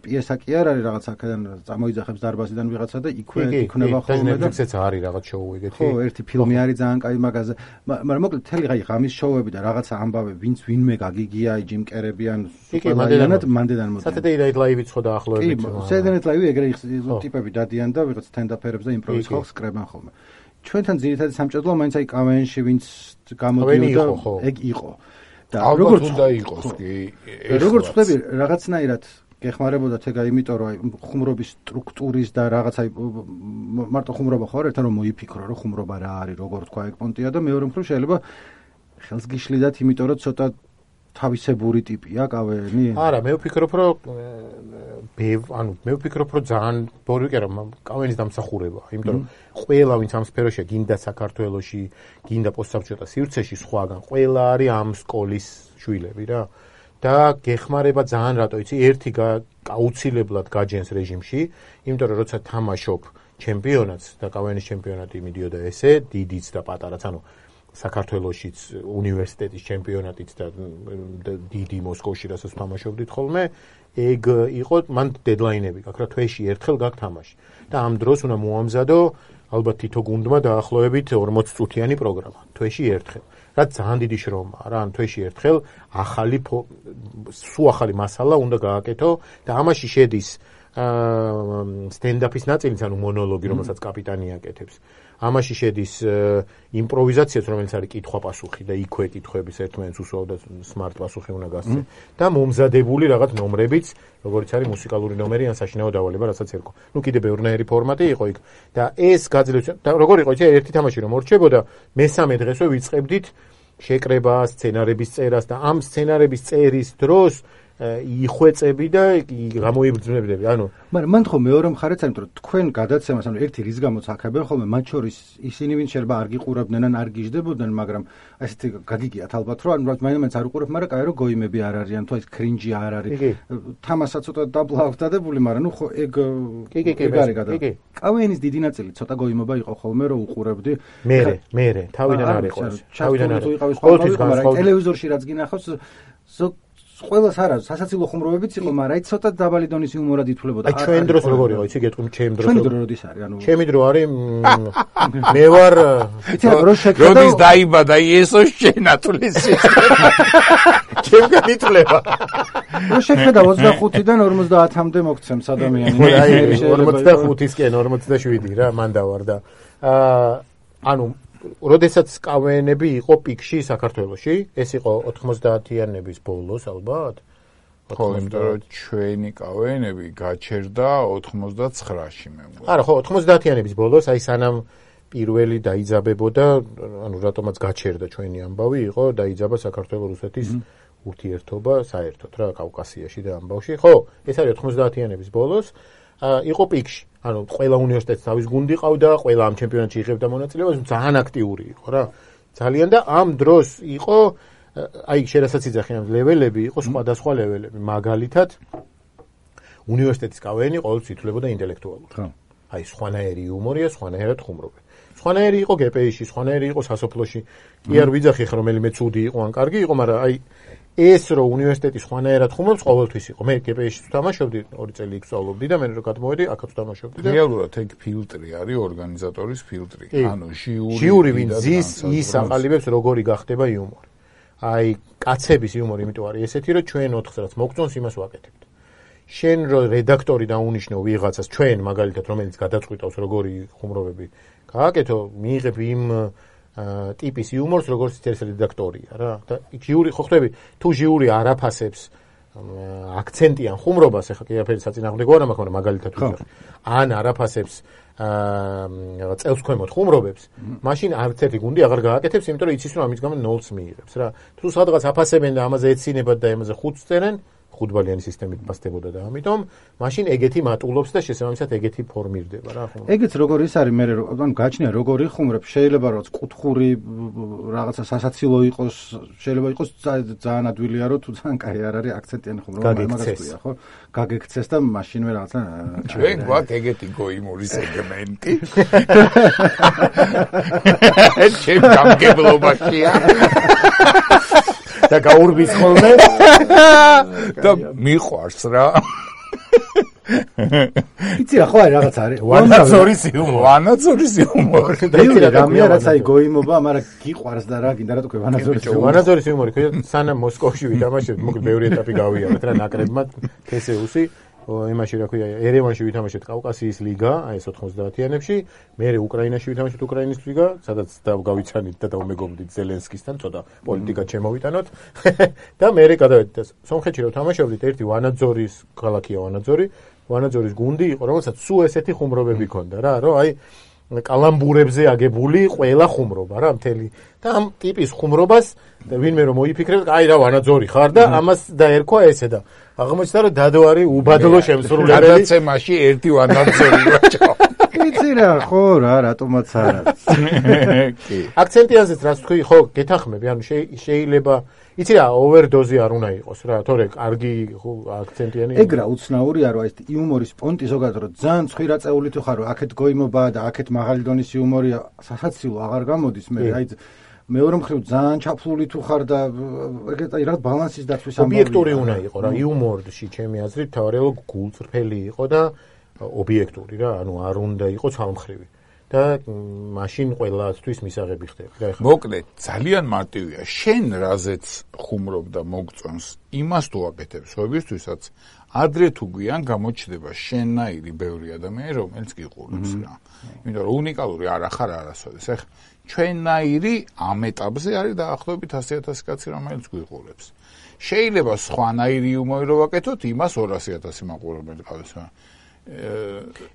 პიესა კი არ არის, რაღაც აქედან წამოიძახებს დარბაზიდან ვიღაცა და იქვე იქნება ხოლმე და ნეტფლიქსიც არის რაღაც შოუ ეგეთი. ხო, ერთი ფილმი არის ძალიან კაი მაგაზე. მაგრამ მოკლედ თელი აი ღამის შოუები და რაღაცა ამბავი, ვინც ვინმე გაგიგია, აი ჯიმ კერები ან სუპერმანად მანდედან მოდი. Saturday Night Live-იც ხო დაახლოებით. Saturday Night Live ეგრე ტიპები დადიან და ვიღაც სტენდაპერებს და იმპროვის ხალხს კრებენ ხოლმე. ჩვენთან ძირითადად სამჭედლო მაინც აი კავენში ვინც გამოდიოდა ეგ იყო. და როგორც უნდა იყოს კი. როგორც ხვდები რაღაცნაირად გეხმარებოდათ ეგა იმიტომ რომ აი ხუმრობის სტრუქტურის და რაღაც აი მარტო ხუმრობა ხო არ ერთად რომ მოიფიქრო რომ ხუმრობა რა არის, როგორ თქვა ეგ პონტია და მეორე მხრივ შეიძლება ხელს გიშლიდათ იმიტომ რომ ცოტა თავისებური ტიპია კავენი? არა, მე ვფიქრობ რომ ანუ მე ვფიქრობ რომ ძალიან ბორიკე რომ კავენის დამსახურება, იმიტომ რომ ყველა ვინც ამ სფეროშია, გინდა საქართველოში, გინდა პოსტსაბჭოთა სივრცეში სხვაგან, ყველა არის ამ სკოლის შვილები რა. და გეხმარება ძალიან რატო იცი, ერთი აუცილებლად გაჯენს რეჟიმში, იმიტომ რომ როცა თამაშობ ჩემპიონატს და კავენის ჩემპიონატი მიდიოდა ესე, დიდიც და პატარაც, ანუ საქართველოშიც უნივერსიტეტის ჩემპიონატიც და დიდი მოსკოვში რასაც თამაშობდით ხოლმე, ეგ იყო მან დედლაინები გაქვს რა, თვეში ერთხელ გაქვს თამაში. და ამ დროს უნდა მოამზადო ალბათ თითო გუნდმა დაახლოებით ორმოც წუთიანი პროგრამა, თვეში ერთხელ. რაც ძალიან დიდი შრომაა რა, ან თვეში ერთხელ ახალი სულ ახალი მასალა უნდა გააკეთო და ამაში შედის სტენდაპის ნაწილიც, ანუ მონოლოგი, რომელსაც კაპიტანი აკეთებს. ამაში შედის იმპროვიზაციაც, რომელიც არის კითხვა-პასუხი და იქვე კითხვების ერთმანეთს უსვავ და smart პასუხი უნდა გასცე. და მომზადებული რაღაც ნომრებიც, როგორც არის მუსიკალური ნომერი ან საშინაო დავალება, რასაც ერქვა. ნუ კიდე ბევრნაირი ფორმატი იყო იქ. და ეს გაძლევს და როგორ იყო, იცი, ერთი თამაში რომ მორჩებოდა, მესამე დღესვე ვიწყებდით შეკრებას, სცენარების წერას და ამ სცენარების წერის დროს იხვეწები და გამოიბრძნებდები. ანუ მაგრამ მან ხო მეორე მხარეც არის, რომ თქვენ გადაცემას, ანუ ერთი რის გამოც აქებენ ხოლმე, მათ შორის ისინი ვინც შეიძლება არ გიყურებდნენ ან არ გიждდებოდნენ, მაგრამ ასეთი გაგიგიათ ალბათ, რომ ანუ მაინც არ უყურებ, მაგრამ კაი რომ გოიმები არ არიან, თუ ეს კრინჯი არ არის. თამასაც ცოტა დაბლავდადებული, მაგრამ ნუ ხო ეგ კი კი კი კი კავენის დიდი ნაწილი ცოტა გოიმობა იყო ხოლმე, რომ უყურებდი. მე მე თავიდან არ იყო. თავიდან არ იყო. მაგრამ ტელევიზორში რაც გინახავს ზოგ ყველას არა, სასაცილო ხუმრობებიც იყო, მაგრამ აი ცოტა დაბალი დონის იუმორად ითვლებოდა. აი ჩვენ დროს როგორ იყო, იცი, გეტყვი ჩემ დროს. ჩვენი დრო როდის არის, ანუ ჩემი დრო არის მე ვარ როდის დაიბადა იესოს შენათვლისი. ჩემგან ითვლება. რო შეხედა ოცდახუთიდან ორმოცდაათამდე მოგცემს ადამიანი. აი ორმოცდახუთისკენ ორმოცდაშვიდი რა, მან დავარ და აა ანუ როდესაც კავენები იყო პიკში საქართველოში, ეს იყო ოთხმოცდაათიანების ბოლოს ალბათ. ხო, იმიტომ რომ ჩვენი კავენები გაჩერდა ოთხმოცდაცხრაში მე მგონი. არა, ხო, ოთხმოცდაათიანების ბოლოს, აი სანამ პირველი დაიძაბებოდა, ანუ რატომაც გაჩერდა ჩვენი ამბავი, იყო დაიძაბა საქართველოს-რუსეთის ურთიერთობა საერთოდ რა კავკასიაში და ამბავში. ხო, ეს არის ოთხმოცდაათიანების ბოლოს, იყო პიკში. ანუ ყველა უნივერსიტეტს თავის გუნდი ყავდა, ყველა ამ ჩემპიონატში იღებდა მონაწილეობას, ძალიან აქტიური იყო რა. ძალიან და ამ დროს იყო აი შერასაც იძახი ამ ლეველები, იყო სხვადასხვა ლეველები. მაგალითად უნივერსიტეტის კავენი ყოველთვის ითვლებოდა ინტელექტუალურად. ხო. აი სხვანაირი იუმორია, სხვანაირად ხუმრობენ. სხვანაირი იყო გე პე ი-ში, სხვანაირი იყო სასოფლოში. კი არ ვიძახი ხა რომელიმე ცუდი იყო ან კარგი იყო, მაგრამ აი ეს რო უნივერსიტეტის სხვანაირად ხუმრობს ყოველთვის იყო. მე გე პე ი-ში ვთამაშობდი, ორი წელი იქ ვსწავლობდი და მე რო გადმოვედი, აქაც ვთამაშობდი და რეალურად ეგ ფილტრი არის, ორგანიზატორის ფილტრი. ანუ ჟიური ჟიური ვინ ზის, ის აყალიბებს როგორი გახდება იუმორი. აი კაცების იუმორი იმიტომ არის ესეთი, რომ ჩვენ ოთხს რაც მოგწონს, იმას ვაკეთებთ. შენ რო რედაქტორი დაუნიშნო ვიღაცას, ჩვენ მაგალითად რომელიც გადაწყვიტავს როგორი ხუმრობები გააკეთო, მიიღებ იმ ტიპის იუმორს, როგორც ეს რედაქტორია რა. და ჟიური ხო ხდები, თუ ჟიური არაფასებს აქცენტიან ხუმრობას, ეხლა კი აფერი საწინააღმდეგო არა მაქვს, მაგრამ მაგალითად ვიღებ. ან არაფასებს აა წელს ქვემოთ ხუმრობებს, მაშინ არც ერთი გუნდი აღარ გააკეთებს, იმიტომ რომ იცის რომ ამის გამო ნოლს მიიღებს რა. თუ სადღაც აფასებენ და ამაზე ეცინებათ და ამაზე ხუთს წერენ, ხუთბალიანი სისტემით ფასდებოდა და ამიტომ მაშინ ეგეთი მატულობს და შესაბამისად ეგეთი ფორმირდება რა ხომ. ეგეც როგორ ის არის მე ანუ გაჩნია როგორი ხუმრობ, შეიძლება რომ კუთხური რაღაცა სასაცილო იყოს, შეიძლება იყოს ძალიან ადვილია რომ თუ ძალიან კაი არ არის აქცენტიანი ხუმრობა, მაგას ქვია ხო? გაგექცეს და მაშინვე რაღაცა ჩვენ გვაქვს ეგეთი გოიმური სეგმენტი. ჩემ გამგებლობაშია. და გაურბის ხოლმე და მიყვარს რა. იცი რა ხო არის რაღაც არის ვანაძორის იუმორი. ვანაძორის იუმორი. და იგივე რამეა რაც აი გოიმობა, მაგრამ გიყვარს და რა გინდა რა თქო ვანაძორის იუმორი. ვანაძორის იუმორი, სანამ მოსკოვში ვითამაშებთ, მოკლედ ბევრი ეტაპი გავიარეთ რა ნაკრებმა თე ეს იუ-ს იმაში რა ქვია, ერევანში ვითამაშეთ კავკასიის ლიგა, აი ეს ოთხმოცდაათიანებში, მერე უკრაინაში ვითამაშეთ უკრაინის ლიგა, სადაც გავიცანით და დავმეგობრდით ზელენსკისთან, ცოტა პოლიტიკა ჩემოვიტანოთ და მერე გადავედით სომხეთში რომ თამაშობდით, ერთი ვანაძორის ქალაქია ვანაძორი, ვანაძორის გუნდი იყო, რომელსაც სულ ესეთი ხუმრობები ჰქონდა რა, რომ აი კალამბურებზე აგებული ყველა ხუმრობა რა მთელი და ამ ტიპის ხუმრობას ვინმე რომ მოიფიქრებს, აი რა ვანაძორი ხარ და ამას დაერქვა ესე და აღმოჩნდა რომ დადო არის უბადლო შემსრულებელი. გადაცემაში ერთი ვანაძორი ვაჭო. იცი რა ხო რა რატომაც არა. კი. აქცენტიანზეც რაც თქვი, ხო, გეთახმები, ანუ შეიძლება იცი რა ოვერდოზი არ უნდა იყოს რა, თორე კარგი აქცენტიანი. ეგ რა უცნაურია რომ აი ეს იუმორის პონტი ზოგადად რომ ძალიან ცხვირაწეული თუ ხარ რომ აქეთ გოიმობა და აქეთ მაღალი დონის იუმორია, სასაცილო აღარ გამოდის მე აი მეორე მხრივ ძალიან ჩაფლული თუ ხარ და ეგეთ აი რა ბალანსის დაცვის ამბავია. ობიექტური უნდა იყო რა, იუმორში ჩემი აზრით თავარი გულწრფელი იყო და ობიექტური რა, ანუ არ უნდა იყოს ცალმხრივი. და მაშინ ყველასთვის მისაღები ხდება. და ეხლა მოკლედ ძალიან მარტივია. შენ რაზეც ხუმრობ და მოგწონს, იმას თუ აკეთებს, ობიექტურსაც ადრე თუ გვიან გამოჩნდება შენნაირი ბევრი ადამიანი, რომელიც გიყურებს რა. იმიტომ რომ უნიკალური არ ახარ არასოდეს. ეხლა ჩვენნაირი ამ ეტაპზე არის დაახლოებით ასი ათასი კაცი, რომელიც გვიყურებს. შეიძლება სხვანაირი იუმორი რო ვაკეთოთ, იმას ორასი ათასი მაყურებელი ყავს რა.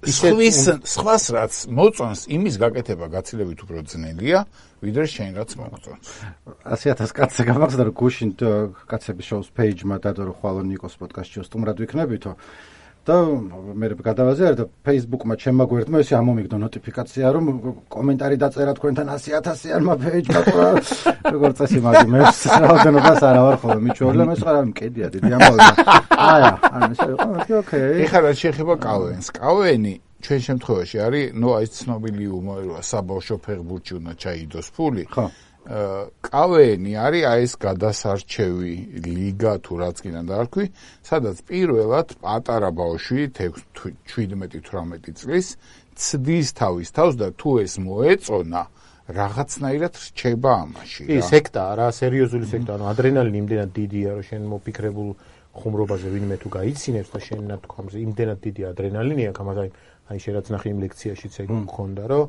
სხვის სხვას რაც მოწონს, იმის გაკეთება გაცილებით უფრო ძნელია, ვიდრე შენ რაც მოგწონს. ასი ათასი კაცზე გამახსდა რომ გუშინ კაცების შოუს პეიჯმა დადო რომ ხვალო ნიკოს პოდკასტში სტუმრად ვიქნებითო და მე გადავაზიარე და Facebook-მა ჩემმა გვერდმა ესე ამომიგდო ნოტიფიკაცია რომ კომენტარი დაწერა თქვენთან ასი ათასიანმა პეიჯმა რა როგორ წესი მაგ მე რაოდენობას არა ვარ ხოლმე მიჩვეულ და მე სხვა არ მკედია დიდი ამბავი აი ანუ ესე იყო ოკეი ეხლა რაც შეეხება კავენს კავენი ჩვენ შემთხვევაში არის ნუ აი ცნობილი იუმორია საბავშვო ფეხბურთში უნდა ჩაიდოს ფული ხო კავენი არის აი ეს გადასარჩევი ლიგა თუ რაც კიდე დაარქვი, სადაც პირველად პატარა ბავშვი შვიდმეტი თვრამეტი წლის ცდის თავის თავს და თუ ეს მოეწონა რაღაცნაირად რჩება ამაში. კი, სექტა რა, სერიოზული სექტა, ანუ ადრენალინი იმდენად დიდია, რომ შენ მოფიქრებულ ხუმრობაზე ვინმე თუ გაიცინებს და შენ ნათქვამზე იმდენად დიდი ადრენალინი აქვს, ამაზე აი შენ რაც ნახე იმ ლექციაშიც ეგ მქონდა, რომ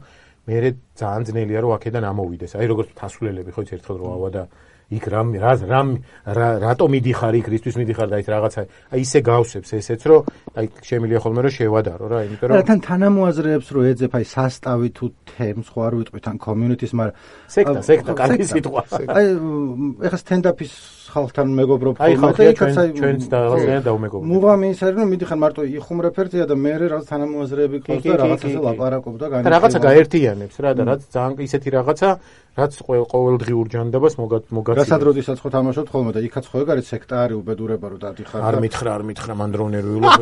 მე ძალიან ძნელია რომ აქედან ამოვიდეს. აი როგორც თასვლელები ხო იცი ერთხელ რო ავა და იქ რამ რამ რატომ მიდიხარ იქ რისთვის მიდიხარ და ის რაღაცა აი ისე გავსებს ესეც რომ აი შემიძლია ხოლმე რომ შევადარო რა იმიტომ რომ თან თანამოაზრეებს რო ეძებ აი სასტავი თუ თემს ხო არ ვიტყვი თან community-ს მაგრამ სექტა სექტა კარგი სიტყვა აი ეხლა stand-up-ის ხალხთან მეგობრობ ხოლმე და იქაც აი ჩვენც და რაღაცა დავმეგობრობ მუღამი ის არის რომ მიდიხარ მარტო იხუმრებ ერთია და მე რაღაც თანამოაზრეები ყავს და რაღაცაზე ლაპარაკობ და განიხილვა რაღაცა გაერთიანებს რა და რაც ძალიან ისეთი რაღაცა რაც ყოველდღიურ ჯანდაბას მოგაცი რასაც როდესაც ხო თამაშობთ ხოლმე და იქაც ხო ეგ არის სექტა არის უბედურება რომ დადიხარ არ მითხრა არ მითხრა მან დრო ნერვიულობ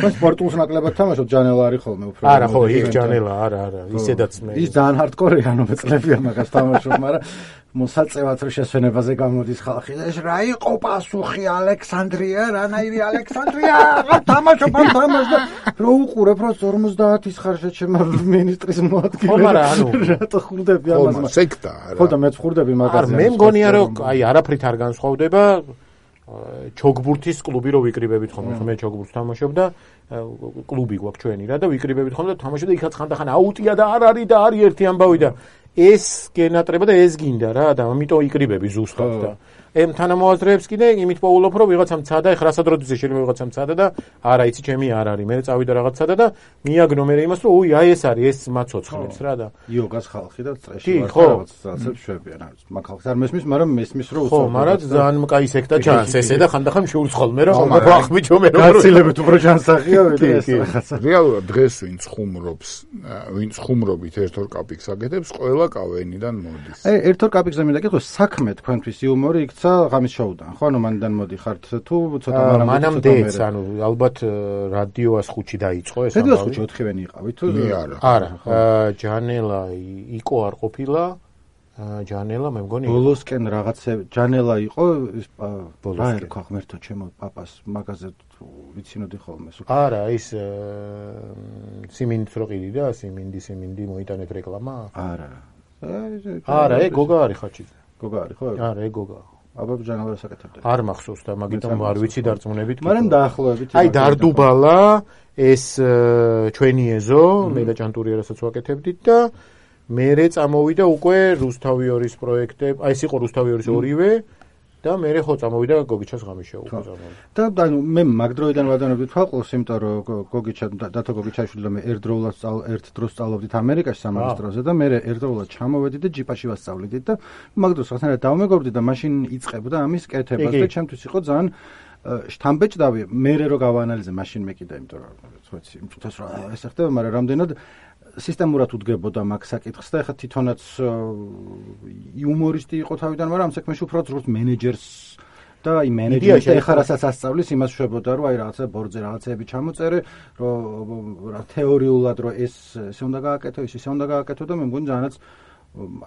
მას სპორტულს ნაკლებად თამაშობ ჯანელა არის ხოლმე უფრო არა ხო იქ ჯანელა არა არა ისედაც მე ის ძალიან ჰარდკორია ანუ მეწლებია მაგას თამაშობ მაგრამ მოსაწევად რომ შესვენებაზე გამოდის ხალხი და ეს რა იყო პასუხი ალექსანდრია რანაირი ალექსანდრია რა თამაშობ ამ თამაშს და რო უყურებ რომ ორმოცდაათის ხარშე ჩემ მინისტრის მოადგილე ხო მაგრამ ანუ რატო ხურდები ამას ხო სექტა რა ხო და მეც ხურდები მაგაზე არ მე მგონია რომ აი არაფრით არ განსხვავდება ჩოგბურთის კლუბი რო ვიკრიბებით ხოლმე მე ჩოგბურთს თამაშობ და კლუბი გვაქვს ჩვენი რა და ვიკრიბებით ხოლმე და თამაშობ და იქაც ხანდახან აუტია და არ არის და არის ერთი ამბავი და ეს გენატრება და ეს გინდა რა და ამიტომ იკრიბები ზუსტად და ემ თანამოაზრეებს კიდე იმით პოულობ რომ ვიღაცამ ცადა ეხლა რასადროძე შეიძლება ვიღაცამ ცადა და არა იცი ჩემი არ არის მე წავიდა რაღაც ცადა და მიაგნო მე იმას რომ უი აი ეს არის ეს მაცოცხლებს რა და იოგას ხალხი და წრეში ვარ რაღაცას შვებიან არის მაგ ხალხს არ მესმის მაგრამ მესმის რომ ხო მაგრამ ძალიან კაი სექტა ჩანს ესე და ხანდახან შეულს ხოლმე რა ახბიჯო მე რომ გაცილებით უფრო ჩანსახია ეს რაღაცა რეალურად დღეს ვინც ხუმრობს ვინც ხუმრობით ერთორ კაპიკს აკეთებს ყველა კავენიდან მოდის აი ერთორ კაპიკზე მინდა გითხოს საქმე თქვენთვის იუმორი ღამის შოუდან ხო ანუ მანდან მოდიხართ თუ ცოტა მანამდეც ანუ ალბათ რადიოას ხუთი დაიწყო ეს რადიოას ხუთი ოთხივენი იყავით თუ არა არა ჯანელა იკო არ ყოფილა ჯანელა მე მგონი ბოლოსკენ რაღაცა ჯანელა იყო ბოლოსკენ ხო ღმერთო ჩემო პაპას მაგაზე ვიცინოდი ხოლმე არა ის სიმინდს რო ყიდი და სიმინდი სიმინდი მოიტანეთ რეკლამა არა არა ეგ გოგა არის ხაჩიძე გოგა არის ხო არა ეგ გოგა აბა ჯანელას აკეთებდა არ მახსოვს და მაგიტომ არ ვიცი დარწმუნებით მაგრამ დაახლოებით აი დარდუბალა ეს ჩვენი ეზო მე და ჭანტური რასაც ვაკეთებდით და მერე წამოვიდა უკვე რუსთავიორის პროექტები აი ეს იყო რუსთავიორის ორივე და მე ხო წამოვიდა გოგიჩას ღამიშა უკვე წამოვიდა და ანუ მე მაგ დროიდან ვადანებდი თვალყურს იმიტომ რომ გოგიჩა დათო გოგიჩაშვილი და მე ერთდროულად ერთ დროს სწავლობდით ამერიკაში სამაგისტროზე და მე ერთდროულად ჩამოვედი და ჯიპაში ვასწავლიდით და მაგ დროს რაღაცნაირად დავმეგობრდი და მაშინ იწყებდა ამის კეთებას და ჩემთვის იყო ძალიან შთამბეჭდავი მე რო გავაანალიზე მაშინ მე კიდე იმიტომ რომ ვიცი იმ წუთას რა ეს ხდება მაგრამ რამდენად სისტემურად უდგებოდა მაგ საკითხს და ეხლა თვითონაც იუმორისტი იყო თავიდან, მაგრამ ამ საქმეში უფრო როგორც მენეჯერს და აი მენეჯმენტი ეხლა რასაც ასწავლის, იმას შვებოდა რომ აი რაღაცა ბორძე რაღაცეები ჩამოწერე, რომ რა თეორიულად რომ ეს ესე უნდა გააკეთო, ის ისე უნდა გააკეთო და მე მგონი ძალიანაც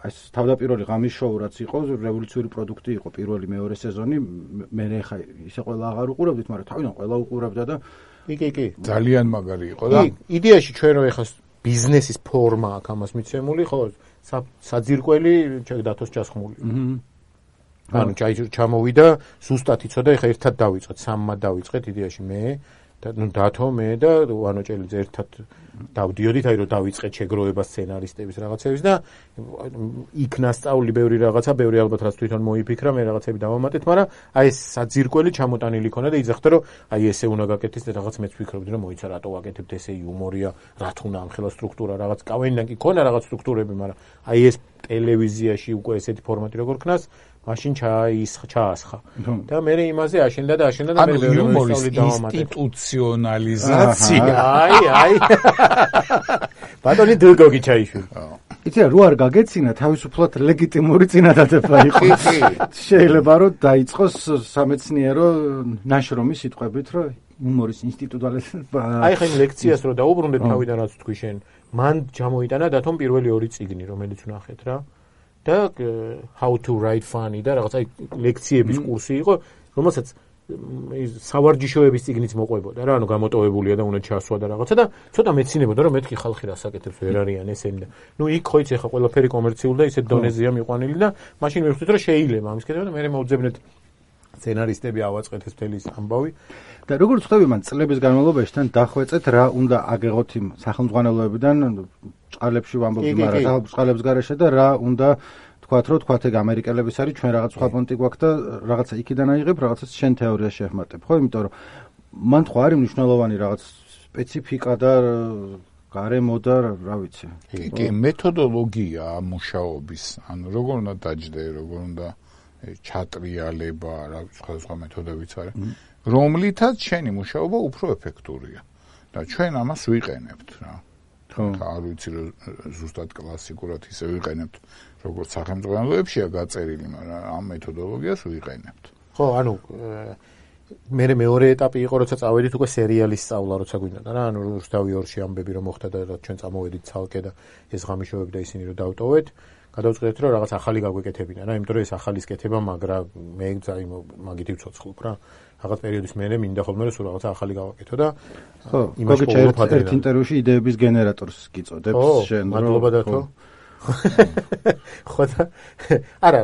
ეს თავდაპირველი ღამის შოუ რაც იყო, რევოლუციური პროდუქტი იყო პირველი მეორე სეზონი, მე ეხლა ისე ყველა აღარ უყურებდით, მაგრამ თავიდან ყველა უყურებდა და კი კი ძალიან მაგარი იყო და იდეაში ჩვენ რომ ეხლა ბიზნესის ფორმა აქვს ამას მიცემული, ხო, საძირკველი დათოს ჩასხმული. ანუ ჩამოვიდა, ზუსტად იცოდა, ეხა ერთად დავიწყეთ, სამმა დავიწყეთ იდეაში მე და ნუ დათო მე და ვანოჭელიძე ერთად დავდიოდით, აი რომ დავიწყეთ შეგროვება სცენარისტების რაღაცების და იქ ნასწავლი ბევრი რაღაცა, ბევრი ალბათ რაც თვითონ მოიფიქრა, მე რაღაცები დავამატეთ, მაგრამ აი ეს საძირკველი ჩამოტანილი ქონა და იძახდა რომ აი ესე უნდა გაკეთდეს და რაღაც მეც ვფიქრობდი რომ მოიცა რატო ვაკეთებთ ესე იუმორია, რათ უნდა ამ ხელა სტრუქტურა, რაღაც კავენიდან კი ქონა რაღაც სტრუქტურები, მაგრამ აი ეს ტელევიზიაში უკვე ესეთი ფორმატი როგორ ქნას მაშინ ჩაის ჩაასხა და მე იმაზე აშენდა და აშენდა და მე ბევრი მოსწავლე დავამატე ინსტიტუციონალიზაცია აი აი ბატონი დულგოგი ჩაიშვი იცი რა რო არ გაგეცინა თავისუფლად ლეგიტიმური წინადადება იყო შეიძლება რომ დაიწყოს სამეცნიერო ნაშრომი სიტყვებით რომ იუმორის ინსტიტუტალიზაცია აი ხა იმ ლექციას რო დაუბრუნდეთ თავიდან რაც თქვი შენ მან ჩამოიტანა დათომ პირველი ორი წიგნი რომელიც ვნახეთ რა და how to write funny და რაღაცა ლექციების კურსი იყო, რომელსაც სავარჯიშოების წიგნიც მოყვებოდა რა, ანუ გამოტოვებულია და უნდა ჩასვა და რაღაცა და ცოტა მეცინებოდა რომ მეთქი ხალხი რას აკეთებს ვერ არიან ესენი და ნუ იქ ხო იცი ხა ყველაფერი კომერციული და ისეთ დონეზეა მიყვანილი და მაშინ მივხვდით რომ შეიძლება ამის კეთება და მე მოვძებნეთ სცენარისტები ავაწყეთ ეს მთელი ამბავი და როგორც ხვდები მან წლების განმავლობაში თან დახვეწეთ რა უნდა აგეღოთ იმ სახელმძღვანელოებიდან ბრწყალებში ვამბობთ, მაგრამ ბრწყალებს გარეშე და რა უნდა თქვათ, რომ თქვათ ეგ ამერიკელების არის, ჩვენ რაღაც სხვა პონტი გვაქვს და რაღაცა იქიდან აიღებ, რაღაცას შენ თეორიას შეხმატებ, ხო? იმიტომ რომ მან ხო არის მნიშვნელოვანი რაღაც სპეციფიკა და გარემო და რა ვიცი. კი, მეთოდოლოგია მუშაობის, ანუ როგორ უნდა დაჯდე, როგორ უნდა ჩატრიალება, რა სხვადასხვა მეთოდებიც არის, რომლითაც შენი მუშაობა უფრო ეფექტურია. და ჩვენ ამას ვიყენებთ რა. ხო, არ ვიცი რომ ზუსტად კლასიკურად ისე ვიყენებთ, როგორც სახელმწიფოებშია გაწერილი, მაგრამ ამ მეთოდოლოგიას ვიყენებთ. ხო, ანუ მე მეორე ეტაპი იყო, როცა წავედით უკვე სერიალის სწავლა, როცა გვინდა რა, ანუ რუსთავი ორში ამბები რომ მოხდა და ჩვენ წამოვედით ცალკე და ეს ღამიშოვები და ისინი რომ დავტოვეთ, გადავწყვეტეთ რომ რაღაც ახალი გაგვეკეთებინა რა, იმიტომ რომ ეს ახალის კეთება, მაგრამ მე ძაი მაგით ვცოცხლობ რა. რაღაც პერიოდის მერე მინდა ხოლმე რომ სულ რაღაცა ახალი გავაკეთო და ხო, გოგიჩ ერთ ინტერვიუში იდეების გენერატორს გიწოდებს შენ რომ მადლობა დათო. ხო და არა,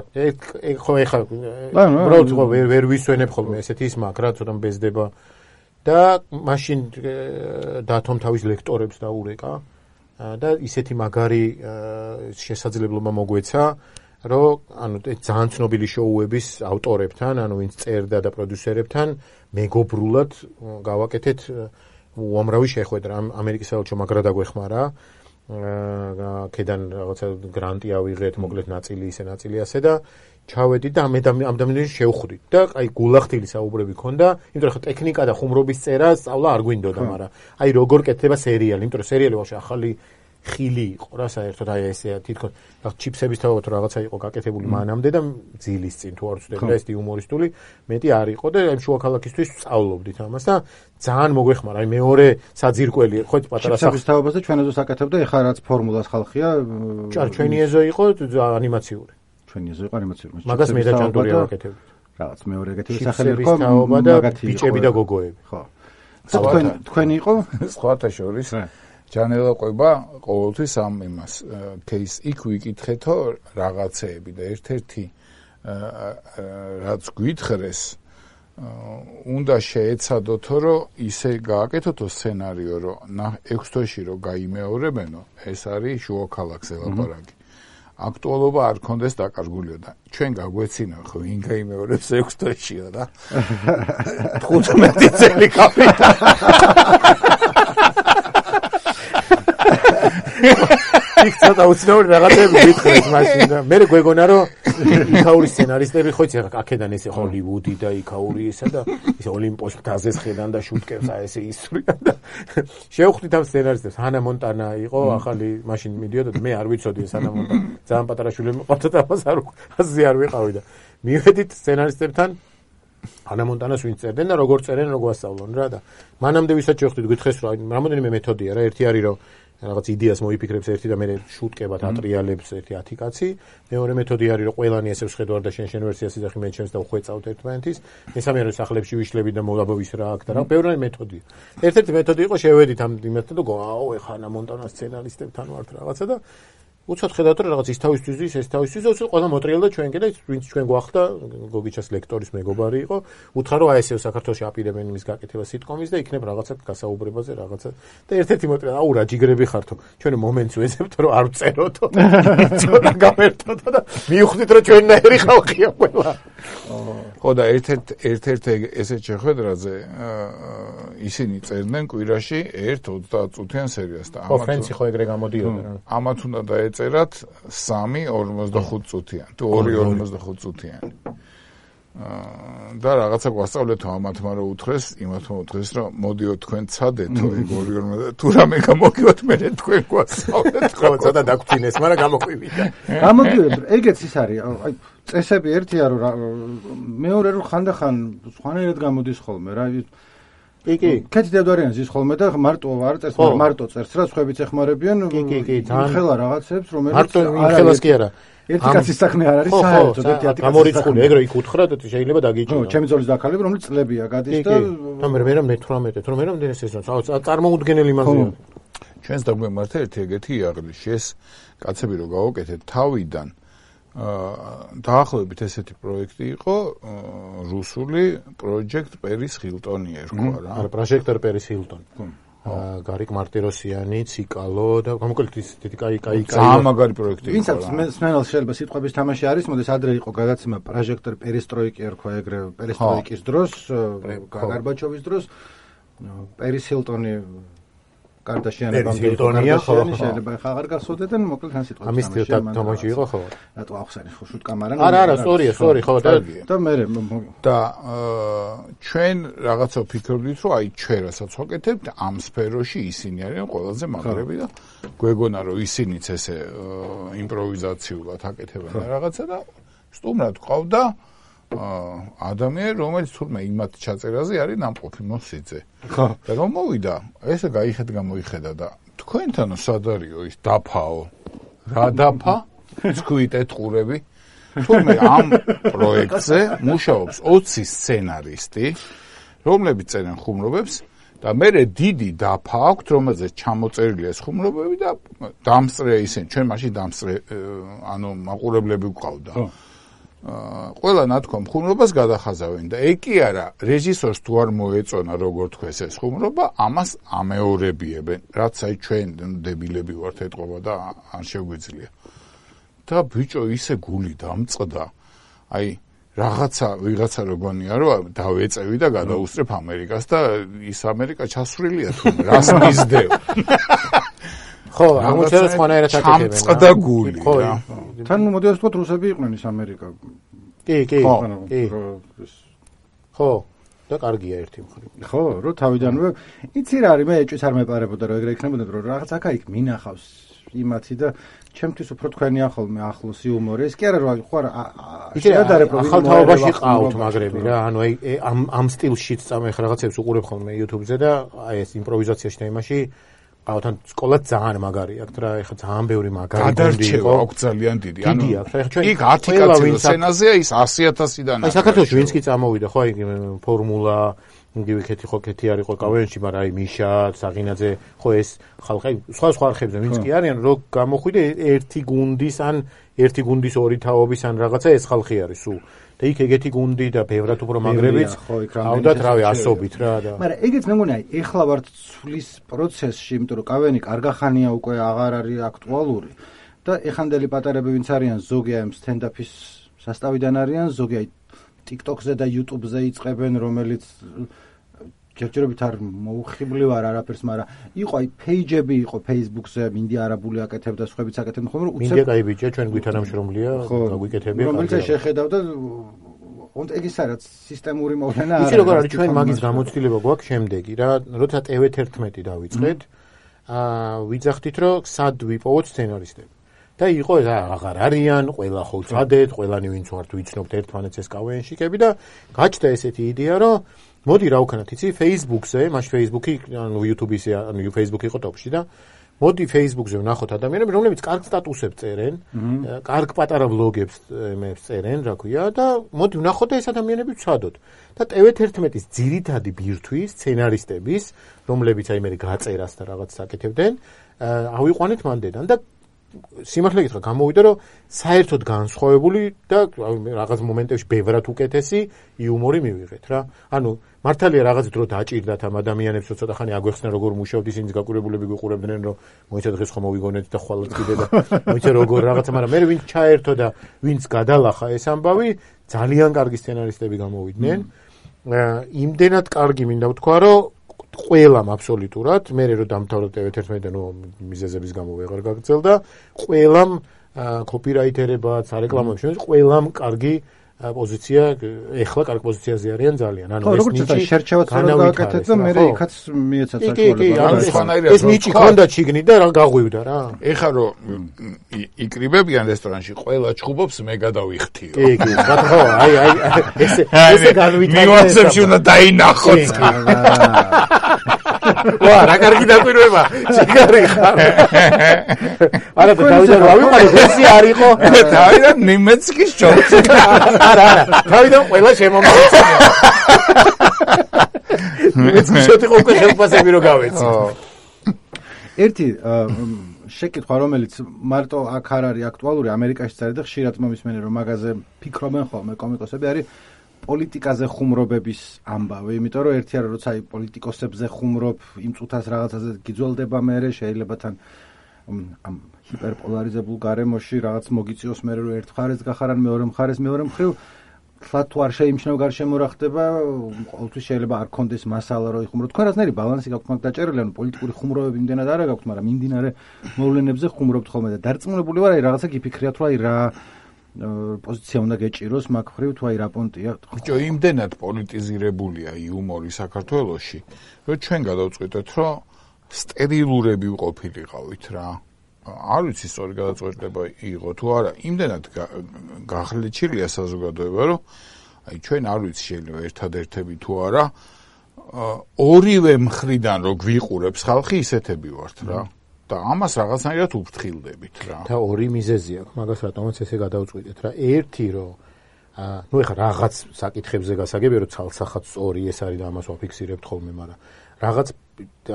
ხო ეხა უბრალოდ ხო ვერ ვერ ვისვენებ ხოლმე ესეთი ის მაგრა ცოტა მბეზდება და მაშინ დათომ თავის ლექტორებს დაურეკა და ისეთი მაგარი შესაძლებლობა მოგვეცა რომ ანუ ძალიან ცნობილი შოუების ავტორებთან, ანუ ვინც წერდა და პროდიუსერებთან მეგობრულად გავაკეთეთ უამრავი შეხვედრა. ამერიკის საელჩო მაგრა დაგვეხმარა. ქედან რაღაცა გრანტი ავიღეთ, მოკლედ ნაწილი ისე ნაწილი ასე და ჩავედით და ამ ამდამიდან შევხვდით და აი გულახდილი საუბრები ქონდა, იმიტომ რომ ტექნიკა და ხუმრობის წერა სწავლა არ გვინდოდა, მაგრამ აი როგორ კეთდება სერიალი, იმიტომ რომ სერიალი ვაფშე ახალი ხილი იყო რა საერთოდ აი ესე თითქოს ჩიფსების თავად რაღაცა იყო გაკეთებული მანამდე და ძილის წინ თუ არ ვცდები და ეს იუმორისტული მეტი არ იყო და აი შუა ქალაქისთვის სწავლობდით ამას და ძალიან მოგვეხმარა აი მეორე საძირკველი ხო პატარა ჩიფსების თავებას და ჩვენ ეზოს აკეთებდა ეხლა რაც ფორმულას ხალხია ჭარ ჩვენი ეზო იყო ანიმაციური ჩვენი ეზო იყო ანიმაციური მაგას მე და ჭანდური ვაკეთებდით რაღაც მეორე ეგეთი სახელი იყო მაგათი ბიჭები და გოგოები ხო თქვენ თქვენი იყო სხვათა შორის ჯანელაყვება ყოველთვის ამ იმას кейს იქ ვიკითხეთო რაღაცეები და ერთ-ერთი რაც გვითხრეს უნდა შეეცადოთო რომ ისე გააკეთოთო სცენარიო რომ ექვს თვეში რომ გაიმეორებენო ეს არის შუა ქალაქზე ლაპარაკი აქტუალობა არ კონდეს დაკარგულიო და ჩვენ გაგვეცინა ხო ვინ გაიმეორებს ექვს თვეშიო და თხუთმეტი წელი კაპიტა იქ ცოტა უცნაური რაღაცები გითხრეს მაშინ და მე გვეგონა რომ იქაური სცენარისტები ხო იცი აქედან ესე ჰოლივუდი და იქაური ესა და ეს ოლიმპოს მთაზეს ხედან და შუტკებს აი ესე ისვრიან და შევხვდით ამ სცენარისტებს ჰანა მონტანა იყო ახალი მაშინ მიდიოდა და მე არ ვიცოდი ეს ჰანა მონტანა ძალიან პატარა შვილი მიყავდა და მას არ აზე არ ვიყავი და მივედით სცენარისტებთან ჰანა მონტანას ვინც წერდნენ და როგორ წერენ როგორ ასწავლონ რა და მანამდე ვისაც შევხვდით გითხეს რომ რამოდენიმე მეთოდია რა ერთი არის რომ რაღაც იდეას მოიფიქრებს ერთი და მე შუტკებად ატრიალებს ერთი ათი კაცი. მეორე მეთოდი არის რომ ყველანი ესე ვხედავ და შენ შენ ვერსიას იძახი მე ჩემს და ვხვეწავთ ერთმანეთის. მესამე არის სახლებში ვიშლები და მოლაბოვის რა აქ და რა ბევრი მეთოდია. ერთ-ერთი მეთოდი იყო შევედით ამ იმასთან და აო ეხა ანა მონტანას სცენარისტებთან ვართ რაღაცა და უცად ხედავთ რომ რაღაც ის თავისთვის ის ეს თავისთვის უცად ყველა მოტრიალდა ჩვენკენ და ვინც ჩვენ გვახდა გოგიჩას ლექტორის მეგობარი იყო უთხრა რომ აი ესე საქართველოში აპირებენ იმის გაკეთება სიტკომის და იქნებ რაღაცა გასაუბრებაზე რაღაცა და ერთ-ერთი მოტრიალ აუ რა ჯიგრები ხართო ჩვენ მომენტს ვეძებთ რომ არ ვწეროთო ცოტა გამერთოთ და მივხვდით რომ ჩვენნაირი ხალხია ყველა ხო და ერთ-ერთ ერთ-ერთ ესეთ შეხვედრაზე ისინი წერდნენ კვირაში ერთ ოცდაათ წუთიან სერიას და ამათ ხო ფრენცი ხო ეგრე გამოდიოდა რა ამათ უნდა დაეწერათ სამი ორმოცდახუთ წუთიანი თუ ორი ორმოცდახუთ წუთიანი და რაღაცა გვასწავლეთო ამათმა რომ უთხრეს იმათმა უთხრეს რომ მოდიო თქვენ ცადეთო ეგ ორი ორმოცდახუთ თუ რამე გამოგივათ მე თქვენ გვასწავლეთ ხო ცოტა დაგფინეს მაგრამ გამოყვივიდა გამოდიოდ ეგეც ის არის აი წესები ერთია რომ მეორე რომ ხანდახან სხვანაირად გამოდის ხოლმე რა კი კი კეთი დედვარიანს ის ხოლმე და მარტო არ წერს მარტო წერს რა სხვაებიც ეხმარებიან კი კი კი ხელა რაღაცებს რომელიც მარტო ხელას კი არა ერთი კაცის საქმე არ არის საერთოდ ერთი ათი გამორიცხული ეგრე იქ უთხრა და შეიძლება დაგიჭირო ხო ჩემი ძოლის დაქალები რომელიც წლებია გადის და და მე მე მეთვრამეტე თორემ მე რამდენი სეზონს წარმოუდგენელი მაზია ჩვენს დაგვემართა ერთი ეგეთი იაღლი ეს კაცები რო გავაკეთეთ თავიდან დაახლოებით ესეთი პროექტი იყო რუსული project Paris Hilton-ი ერქვა რა. არა, project Paris Hilton. გარიკ მარტიროსიანი, ციკალო და გამოკლედ ის დიდი კაი კაი კაი ძალიან მაგარი პროექტი იყო. ვინც აქვს მსმენელს შეიძლება სიტყვების თამაში არის, მოდეს ადრე იყო გადაცემა პროჟექტორ პერესტროიკი ერქვა ეგრე პერესტროიკის დროს, გარბაჩოვის დროს, პერის ჰილტონი კარდაშიანებამ კარდაშიანი შეიძლება ხა აღარ გასულდეთ, მოკლედ თან სიტყვები. ამის თამაში იყო ხო? რატო ახსენე ხო შუტკამარა? არა, არა, სწორია, სწორი ხო და და მე და ჩვენ რაღაცა ვფიქრობდით, რომ აი ჩვენ რასაც ვაკეთებთ ამ სფეროში ისინი არიან ყველაზე მაგრები და გვეგონა რომ ისინიც ესე იმპროვიზაციულად აკეთებენ რაღაცა და სტუმრად ყავდა ადამიანი, რომელიც თურმე იმათ ჩაწერაზე არის ნამყოფი მოსიძე. ხო. და რომ მოვიდა, ესე გაიხედ გამოიხედა და თქვენთანო სად არისო ის დაფაო? რა დაფა? ცქვით ეთყურები. თურმე ამ პროექტზე მუშაობს ოცი სცენარისტი, რომლებიც წერენ ხუმრობებს და მერე დიდი დაფა აქვთ, რომელზეც ჩამოწერილია ეს ხუმრობები და დამსწრე ისინი, ჩვენ მაშინ დამსწრე ანუ მაყურებლები ვყავდა. ყველა ნათქვამ ხუმრობას გადახაზავენ და ეგ კი არა რეჟისორს თუ არ მოეწონა როგორ თქვეს ეს ხუმრობა ამას ამეორებიებენ რაც აი ჩვენ დებილები ვართ ეთყობა და არ შეგვიძლია და ბიჭო ისე გული დამწყდა აი რაღაცა ვიღაცა როგორია რომ დავეწევი და გადაუსწრებ ამერიკას და ის ამერიკა ჩასვლილია თუ რას მისდევ ხო, აღმოჩნდა სხვანაირად აკეთებენ. ჩამწყდა გული. ხო. თან მოდი ასე ვთქვათ, რუსები იყვნენ ის ამერიკა. კი, კი. კი. ხო, და კარგია ერთი მხრივ. ხო, რო თავიდანვე იცი რა არის, მე ეჭვიც არ მეპარებოდა, რომ ეგრე იქნებოდა, რომ რაღაც აქა-იქ მინახავს იმათი და ჩემთვის უფრო თქვენი ახალმე ახლოს იუმორი. ეს კი არა, რომ ხო არა, შედარებ რომ ახალ თაობაში ყავთ მაგრები რა, ანუ აი ამ ამ სტილშიც წამე ხა რაღაცებს უყურებ ხოლმე YouTube-ზე და აი ეს იმპროვიზაციაში და იმაში ავთან სკოლა ძალიან მაგარი აქვს რა, ეხლა ძალიან ბევრი მაგარი გუნდი იყო. აქვს ძალიან დიდი. ანუ იქ ათი კაცი სცენაზეა ის ასი ათასიდან. აი საქართველოში ვინც კი წამოვიდა ხო აი ფორმულა, იგივე ქეთი ხო ქეთი არ იყო კავენში, მაგრამ აი მიშა, საღინაძე, ხო ეს ხალხი სხვა სხვა არხებზე ვინც კი არიან, რო გამოხვიდე ერთი გუნდის ან ერთი გუნდის ორი თაობის ან რაღაცა ეს ხალხი არის სულ. და იქ ეგეთი გუნდი და ბევრად უფრო მაგრებიც ავდათ რავი ასობით რა და მაგრამ ეგეც მე მგონი აი ეხლა ვართ ცვლის პროცესში, იმიტომ რომ კავენი კარგახანია უკვე აღარ არის აქტუალური და ეხანდელი პატარები ვინც არიან ზოგი აი სტენდაფის სასტავიდან არიან, ზოგი აი TikTok-ზე და YouTube-ზე იწყებენ, რომელიც ჯერჯერობით არ მოუხიბლივ არ არაფერს, მაგრამ იყო აი პეიჯები იყო Facebook-ზე, მინდი არაბული აკეთებდა, სხვაებიც აკეთებდნენ ხოლმე, რომ უცებ მინდი კაი ბიჭია, ჩვენ გვითანამშრომლია, გაგვიკეთებია. რომელიც შეხედავ და უნდა ეგ ის არის სისტემური მოვლენა არა. იცი როგორ არის ჩვენ მაგის გამოცდილება გვაქვს შემდეგი რა, როცა ტე ვე თერთმეტი დავიწყეთ, აა ვიძახდით რომ სად ვიპოვოთ სცენარისტები. და იყო ეს აღარ არიან, ყველა ხო წადეთ, ყველანი ვინც ვართ ვიცნობთ ერთმანეთს ეს კავენშიკები და გაჩნდა ესეთი იდეა რომ მოდი რა ვქნათ, იცი, Facebook-ზე, მაშ Facebook-ი, ანუ YouTube-ზე, ანუ Facebook-ი იყო ტოპში და მოდი Facebook-ზე ვნახოთ ადამიანები, რომლებიც კარგ სტატუსებს წერენ, კარგ პატარა ბლოგებს წერენ, რა ქვია, და მოდი ვნახოთ და ეს ადამიანები ვცადოთ. და ტე ვე თერთმეტის ძირითადი ბირთვი სცენარისტების, რომლებიც აი მე გაწერას და რაღაც საკეთებდნენ, ავიყვანეთ მანდედან და სიმართლე გითხრა, გამოვიდა რომ საერთოდ განსხვავებული და რაღაც მომენტებში ბევრად უკეთესი იუმორი მივიღეთ რა. ანუ მართალია რაღაც დრო დაჭირდათ ამ ადამიანებს, რომ ცოტა ხანი აგვეხსნა როგორ მუშაობთ, ისინიც გაკურებულები გიყურებდნენ, რომ მოიცა დღეს ხომ მოვიგონეთ და ხვალაც კიდე და მოიცა როგორ რაღაცა, მაგრამ მე ვინც ჩაერთო და ვინც გადალახა ეს ამბავი, ძალიან კარგი სცენარისტები გამოვიდნენ. იმდენად კარგი მინდა ვთქვა, რომ ყველამ აბსოლუტურად, მე რო დამთავრდა ტე ვე თერთმეტი, ნუ მიზეზების გამო ვეღარ გაგრძელდა, ყველამ კოპირაითერებად, სარეკლამოებში, ყველამ კარგი პოზიცია, ეხლა კარგი პოზიციაზე არიან ძალიან. ანუ ეს ნიჭი შერჩევაც გააკეთეთ და მე იქაც მიეცათ საშუალება. ეს ნიჭი ქონდა ჩიგნი და რა გაღვივდა რა. ეხლა რო იკრიბებიან რესტორანში, ყველა ჩხუბობს, მე გადავიხთიო. კი, კი, ხო, აი, აი, ესე ესე განვითარდა. ნიუანსებში უნდა დაინახოთ. ვა, რა კარგი დაკვირვება. სიგარი ხარ. არა, დავიდან რა ვიყავი, ესე არ იყო. დავიდან ნიმეცკის ჩორცი. არა, არა, დავიდან ყველა შემომეცნია. ნიმეცკის ჩორცი უკვე ხელფასები რო გავეცი. ერთი შეკითხვა, რომელიც მარტო აქ არ არის აქტუალური, ამერიკაშიც არის და ხშირად მომისმენე რომ მაგაზე ფიქრობენ ხოლმე კომიკოსები, არის პოლიტიკაზე ხუმრობების ამბავი, იმიტომ რომ ერთი არა როცა აი პოლიტიკოსებზე ხუმრობ, იმ წუთას რაღაცაზე გიძველდება მე, შეიძლება თან ამ ჰიპერპოლარიზებულ გარემოში რაღაც მოგიწიოს მე რომ ერთ მხარეს გახარან მეორე მხარეს მეორე მხრივ თლა თუ არ შეიმჩნევ გარშემო რა ხდება, ყოველთვის შეიძლება არ კონდეს მასალა რომ იხუმრო. თქვენ რაღაცნაირი ბალანსი გაქვთ მაგ დაჭერილი, ანუ პოლიტიკური ხუმრობები იმდენად არა გაქვთ, მაგრამ მიმდინარე მოვლენებზე ხუმრობთ ხოლმე და დარწმუნებული ვარ აი რაღაცა გიფიქრიათ რომ აი რა პოზიცია უნდა გეჭიროს მაგ ხრივ თუ აი რა პონტია. ბიჭო, იმდენად პოლიტიზირებულია იუმორი საქართველოში, რომ ჩვენ გადავწყვიტეთ, რომ სტერილურები ვყოფილიყავით რა. არ ვიცი სწორი გადაწყვეტილება იყო თუ არა, იმდენად გახლეჩილია საზოგადოება, რომ აი ჩვენ არ ვიცი შეიძლება ერთადერთები თუ არა, ორივე მხრიდან რო გვიყურებს ხალხი ისეთები ვართ რა. და ამას რაღაცნაირად უფრთხილდებით რა. და ორი მიზეზი აქვს, მაგას რატომაც ესე გადავწყვიტეთ რა. ერთი რომ ნუ ეხლა რაღაც საკითხებზე გასაგებია რომ ცალსახად სწორი ეს არის და ამას ვაფიქსირებთ ხოლმე, მაგრამ რაღაც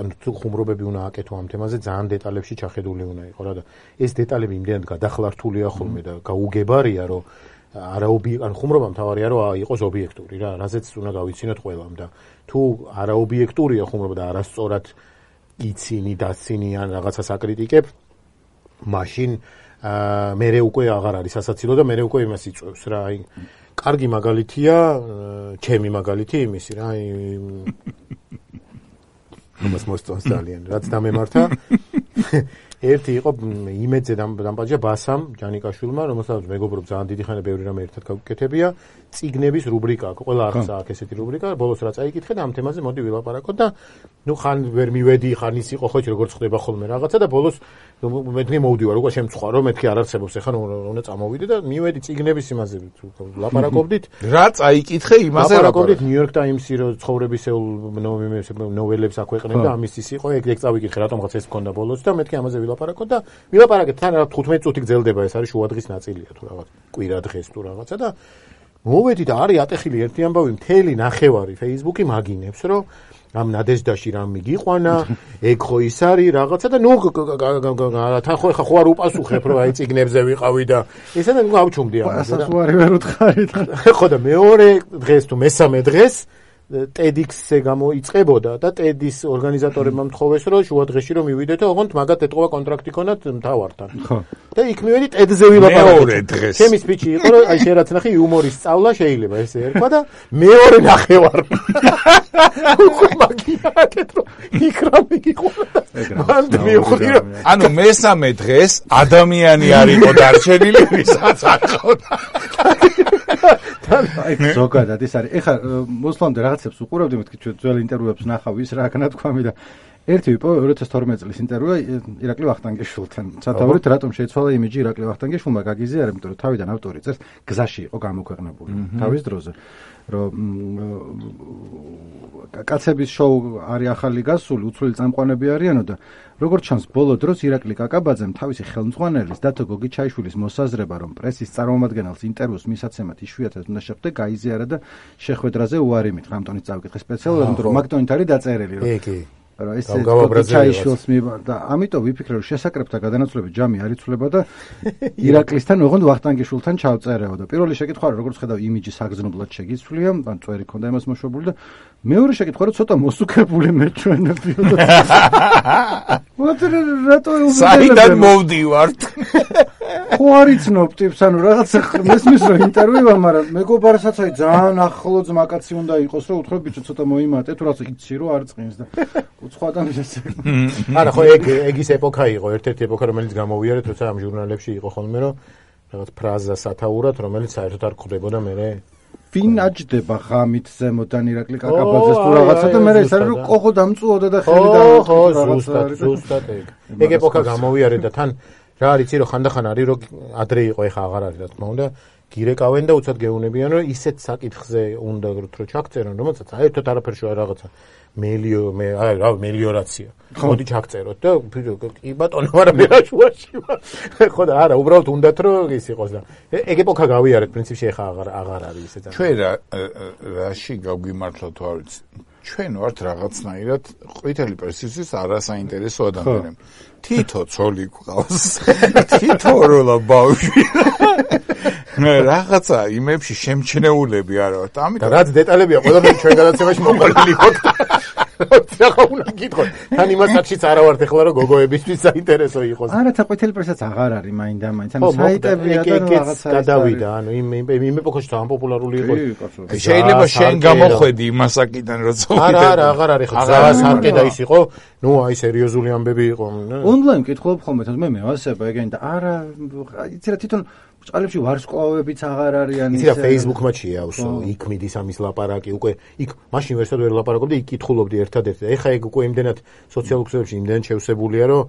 ანუ თუ ხუმრობები უნდა აკეთო ამ თემაზე ძალიან დეტალებში ჩახედული უნდა იყო რა და ეს დეტალები იმდენად გადახლართულია ხოლმე და გაუგებარია რომ არა ობიექტ ანუ ხუმრობა მთავარია რომ იყოს ობიექტური რა რაზეც უნდა გავიცინოთ ყველამ და თუ არა ობიექტურია ხუმრობა და არასწორად იცინი დაცინი ან რაღაცას აკრიტიკებ მაშინ მე უკვე აღარ არის სასაცილო და მე უკვე იმას იწევს რა აი კარგი მაგალითია ჩემი მაგალითი იმისი რა აი მას მოსწონს ძალიან რაც დამემართა ერთი იყო იმედზე დამპაჯა ბასამ ჯანიკაშვილმა რომელსაც მეგობრობ ძალიან დიდი ხანია ბევრი რამე ერთად გავკეთებია წიგნების რუბრიკა აქვს ყველა არხს აქვს ესეთი რუბრიკა ბოლოს რაც აიკითხე და ამ თემაზე მოდი ვილაპარაკოთ და ნუ ხან ვერ მივედი ხან ის იყო ხო როგორც ხდება ხოლმე რაღაცა და ბოლოს მეთქი მოვდივარ უკვე შემწხვარო მეთქი არ არსებობს ეხლა უნდა წამოვიდე და მივედი წიგნების იმაზე ლაპარაკობდით რაც აიკითხე იმაზე ლაპარაკობდით ნიუ-იორკ ტაიმსი რო ცხოვრებისეულ ნოველებს აქვეყნებდა და ამის ის იყო ეგ ეგ წავიკითხე რატომღაც ეს მქონდა ბოლოს და მეთქი ამაზე ვილაპარაკოთ და ვილაპარაკეთ თან რა თხუთმეტი წუთი გრძელდება ეს არის შუადღის ნაწილია თუ რაღაც კვირა დღეს თუ რაღაცა და მოვედი და არის ატეხილი ერთი ამბავი მთელი ნახევარი Facebook-ი მაგინებს რომ ამ ნადეჟდაში რამ მიგიყვანა ეგ ხო ის არის რაღაცა და ნუ თან ხო ხო არ უპასუხებ რომ აი წიგნებზე ვიყავი და ესა და ნუ ავჩუმდი ამას და ასე ვერ უთხარით ხო და მეორე დღეს თუ მესამე დღეს TEDx-ზე გამოიწყებოდა და TED-ის ორგანიზატორებმა მთხოვეს რომ შუადღეში რომ მივიდეთ და ოღონდ მაგათ ეთყობა კონტრაქტი ქონათ მთავართან. ხო. და იქ მივედი TED-ზე ვილაპარაკეთ. მეორე დღეს. ჩემი სპიჩი იყო რომ აი შენ რაც ნახე იუმორის სწავლა შეიძლება ესე ერქვა და მეორე ნახევარ. უკვე მაგიაკეთ რომ იქ რა მიგიყვანა. მანდ მივხვდი რომ ანუ მესამე დღეს ადამიანი არ იყო დარჩენილი ვისაც არ ყავდა. აი ზოგადად ეს არის. ეხლა მოსლამდე რაღაცებს უყურავდი მეთქი ჩვენ ძველ ინტერვიუებს ნახავ ის რა განათქვამი და ერთი ვიპო ორი ათას თორმეტი წლის ინტერვიუა ირაკლი ვახტანგიშვილთან. სათაურით რატომ შეიცვალა იმიჯი ირაკლი ვახტანგიშვილმა გაგიზიარა, იმიტომ რომ თავიდან ავტორი წერს გზაში იყო გამოქვეყნებული თავის დროზე. რომ კაცების შოუ არის ახალი გასული, უცვლელი წამყვანები არიანო და როგორც ჩანს ბოლო დროს ირაკლი კაკაბაძემ თავისი ხელმძღვანელის დათო გოგიჩაიშვილის მოსაზრება რომ პრესის წარმომადგენელს ინტერვიუს მისაცემად იშვიათად უნდა შეხვდე გაიზიარა და შეხვედრაზე უარი მით გამტონის წავიკითხე სპეციალურად იმიტომ რომ მაგტონით არის დაწერილი რომ რა ეს გოგიჩაიშვილს მივა და ამიტომ ვიფიქრე რომ შესაკრებთა გადანაცვლების ჯამი არ იცვლება და ირაკლისთან ოღონდ ვახტანგიშვილთან ჩავწერეო და პირველი შეკითხვა რომ როგორც ხედავ იმიჯი საგრძნობლად შეგიცვლია ან წვერი ქონდა იმას მოშვებული და მეორე შეკითხვა რომ ცოტა მოსუქებული მეჩვენებიო და მოდი რატო საიდან მოვდივართ ხო არ იცნობ ტიპს ანუ რაღაცა მესმის რომ ინტერვიუა მაგრამ მეგობარსაც აი ძალიან ახლო ძმაკაცი უნდა იყოს რომ უთხრობ ბიჭო ცოტა მოიმატე თუ რაღაც იცი რომ არ წინს და უცხო ადამიანს არა ხო ეგ ეგის ეპოქა იყო ერთ-ერთი ეპოქა რომელიც გამოვიარეთ როცა ამ ჟურნალებში იყო ხოლმე რომ რაღაც ფრაზა სათაურად რომელიც საერთოდ არ გვხვდებოდა მე ვინ აჯდება ღამით ზემოდან ირაკლი კაკაბაძეს თუ რაღაცა და მე ეს არის რომ ყოღო დამწუოდა და ხელი და ხო ზუსტად ზუსტად ეგ ეგ ეპოქა გამოვიარეთ და თან რა არის იცი რომ ხანდახან არის რომ ადრე იყო ეხა აღარ არის რა თქმა უნდა გირეკავენ და უცად გეუნებიან რომ ისეთ საკითხზე უნდა რომ ჩაგწერონ რომელსაც საერთოდ არაფერ შოა რაღაცა მელიო მე აი რა მელიორაცია მოდი ჩაგწეროთ და კი ბატონო მაგრამ მე რა შუაში ვარ ხო და არა უბრალოდ უნდათ რომ ის იყოს და ეგ ეპოქა გავიარეთ პრინციპში ეხა აღარ აღარ არის ესეც ჩვენ რა რაში გავგიმართლა თუ არ ვიცი ჩვენ ვართ რაღაცნაირად ყვითელი პრესისთვის არასაინტერესო ადამიანები თითო ცოლი გვყავს თითო როლა ბავშვი რაღაცა იმებში შემჩნეულები არა ვართ. ამიტომ რაც დეტალებია ყველაფერი ჩვენ გადაცემაში მოყოლილი ვართ. ახლა უნდა გითხოთ. თან იმას საჩიც არა ვართ ახლა რომ გოგოებისთვის საინტერესო იყოს. არა, თაყვეთელი პრესაც აღარ არის მაინდა მაინც. ანუ საიტებია და რაღაცა გადავიდა, ანუ იმ იმ ეპოქაში თან პოპულარული იყო. შეიძლება შენ გამოხვედი იმასაკიდან როცა არა, არა, აღარ არის ხო. ზას არკე და ის იყო. ნუ აი სერიოზული ამბები იყო. ონლაინ მკითხულობ ხოლმე თან მე მევასება ეგენ და არა, იცი რა თვითონ წყალებში ვარსკვლავებიც აღარ არიან ისე. იცი რა Facebook-მა შეავსო, იქ მიდის ამის ლაპარაკი, უკვე იქ მაშინ ვერსად ვერ ლაპარაკობდი, იქ კითხულობდი ერთადერთი. ეხა ეგ უკვე იმდენად სოციალურ ქსელებში იმდენად შევსებულია, რომ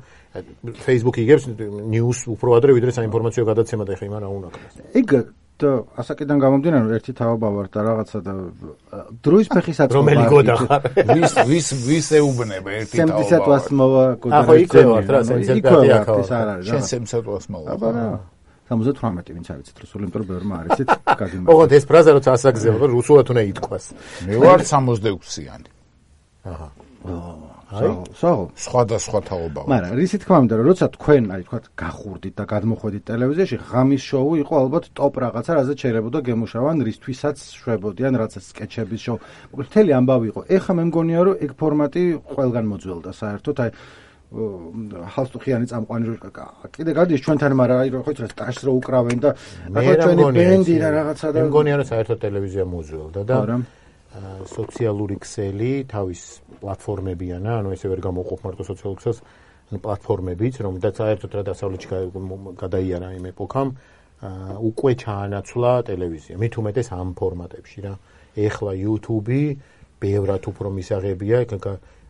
Facebook იგებს news უფრო ადრე ვიდრე საინფორმაციო გადაცემა და ეხა იმან რა უნდა ქნას. ეგ და ასაკიდან გამომდინარე რომ ერთი თაობა ვარ და რაღაცა და დროის ფეხის აწმობა რომელი გოდახარ ვის ვის ვის ეუბნება ერთი თაობა სემცატვას მოვა გოდახარ ახო იქ ვარ რა სემცატვი აქ შენ სემცატვას მოვა აბა სამოცდათვრამეტი ვინც არის რუსული იმიტომ რომ ბევრმა არის ეს გადიმართ ოღონდ ეს ფრაზა როცა ასაგზევა რომ რუსულად უნდა ითქვას მე ვარ სამოცდაექვსიანი აჰა აი სულ სხვადასხვა თაობა ვარ მაგრამ რისი თქმა უნდა რომ როცა თქვენ აი თქვა გახურდით და გადმოხვედით ტელევიზიაში ღამის შოუ იყო ალბათ ტოპ რაღაცა რაზეც შეიძლება გემუშავან რისთვისაც შვებოდიან რაღაცა სკეჩების შოუ მოკლედ მთელი ამბავი იყო ეხა მე მგონია რომ ეგ ფორმატი ყველგან მოძველდა საერთოდ აი ჰალსტუხიანი წამყვანი კიდე გადის ჩვენთან მაგრამ აი ხო იცით ტაშს რო უკრავენ და ახლა ჩვენი ბენდი და რაღაცა და მე მგონია რომ საერთოდ ტელევიზია მოძველდა და სოციალური ქსელი თავის პლატფორმებიანა ანუ ესე ვერ გამოყოფ მარტო სოციალურ ქსელს ანუ პლატფორმებიც რომელთაც საერთოდ რა დასავლეთში გადაიარა იმ ეპოქამ უკვე ჩაანაცვლა ტელევიზია მით უმეტეს ამ ფორმატებში რა ეხლა YouTube-ი ბევრად უფრო მისაღებია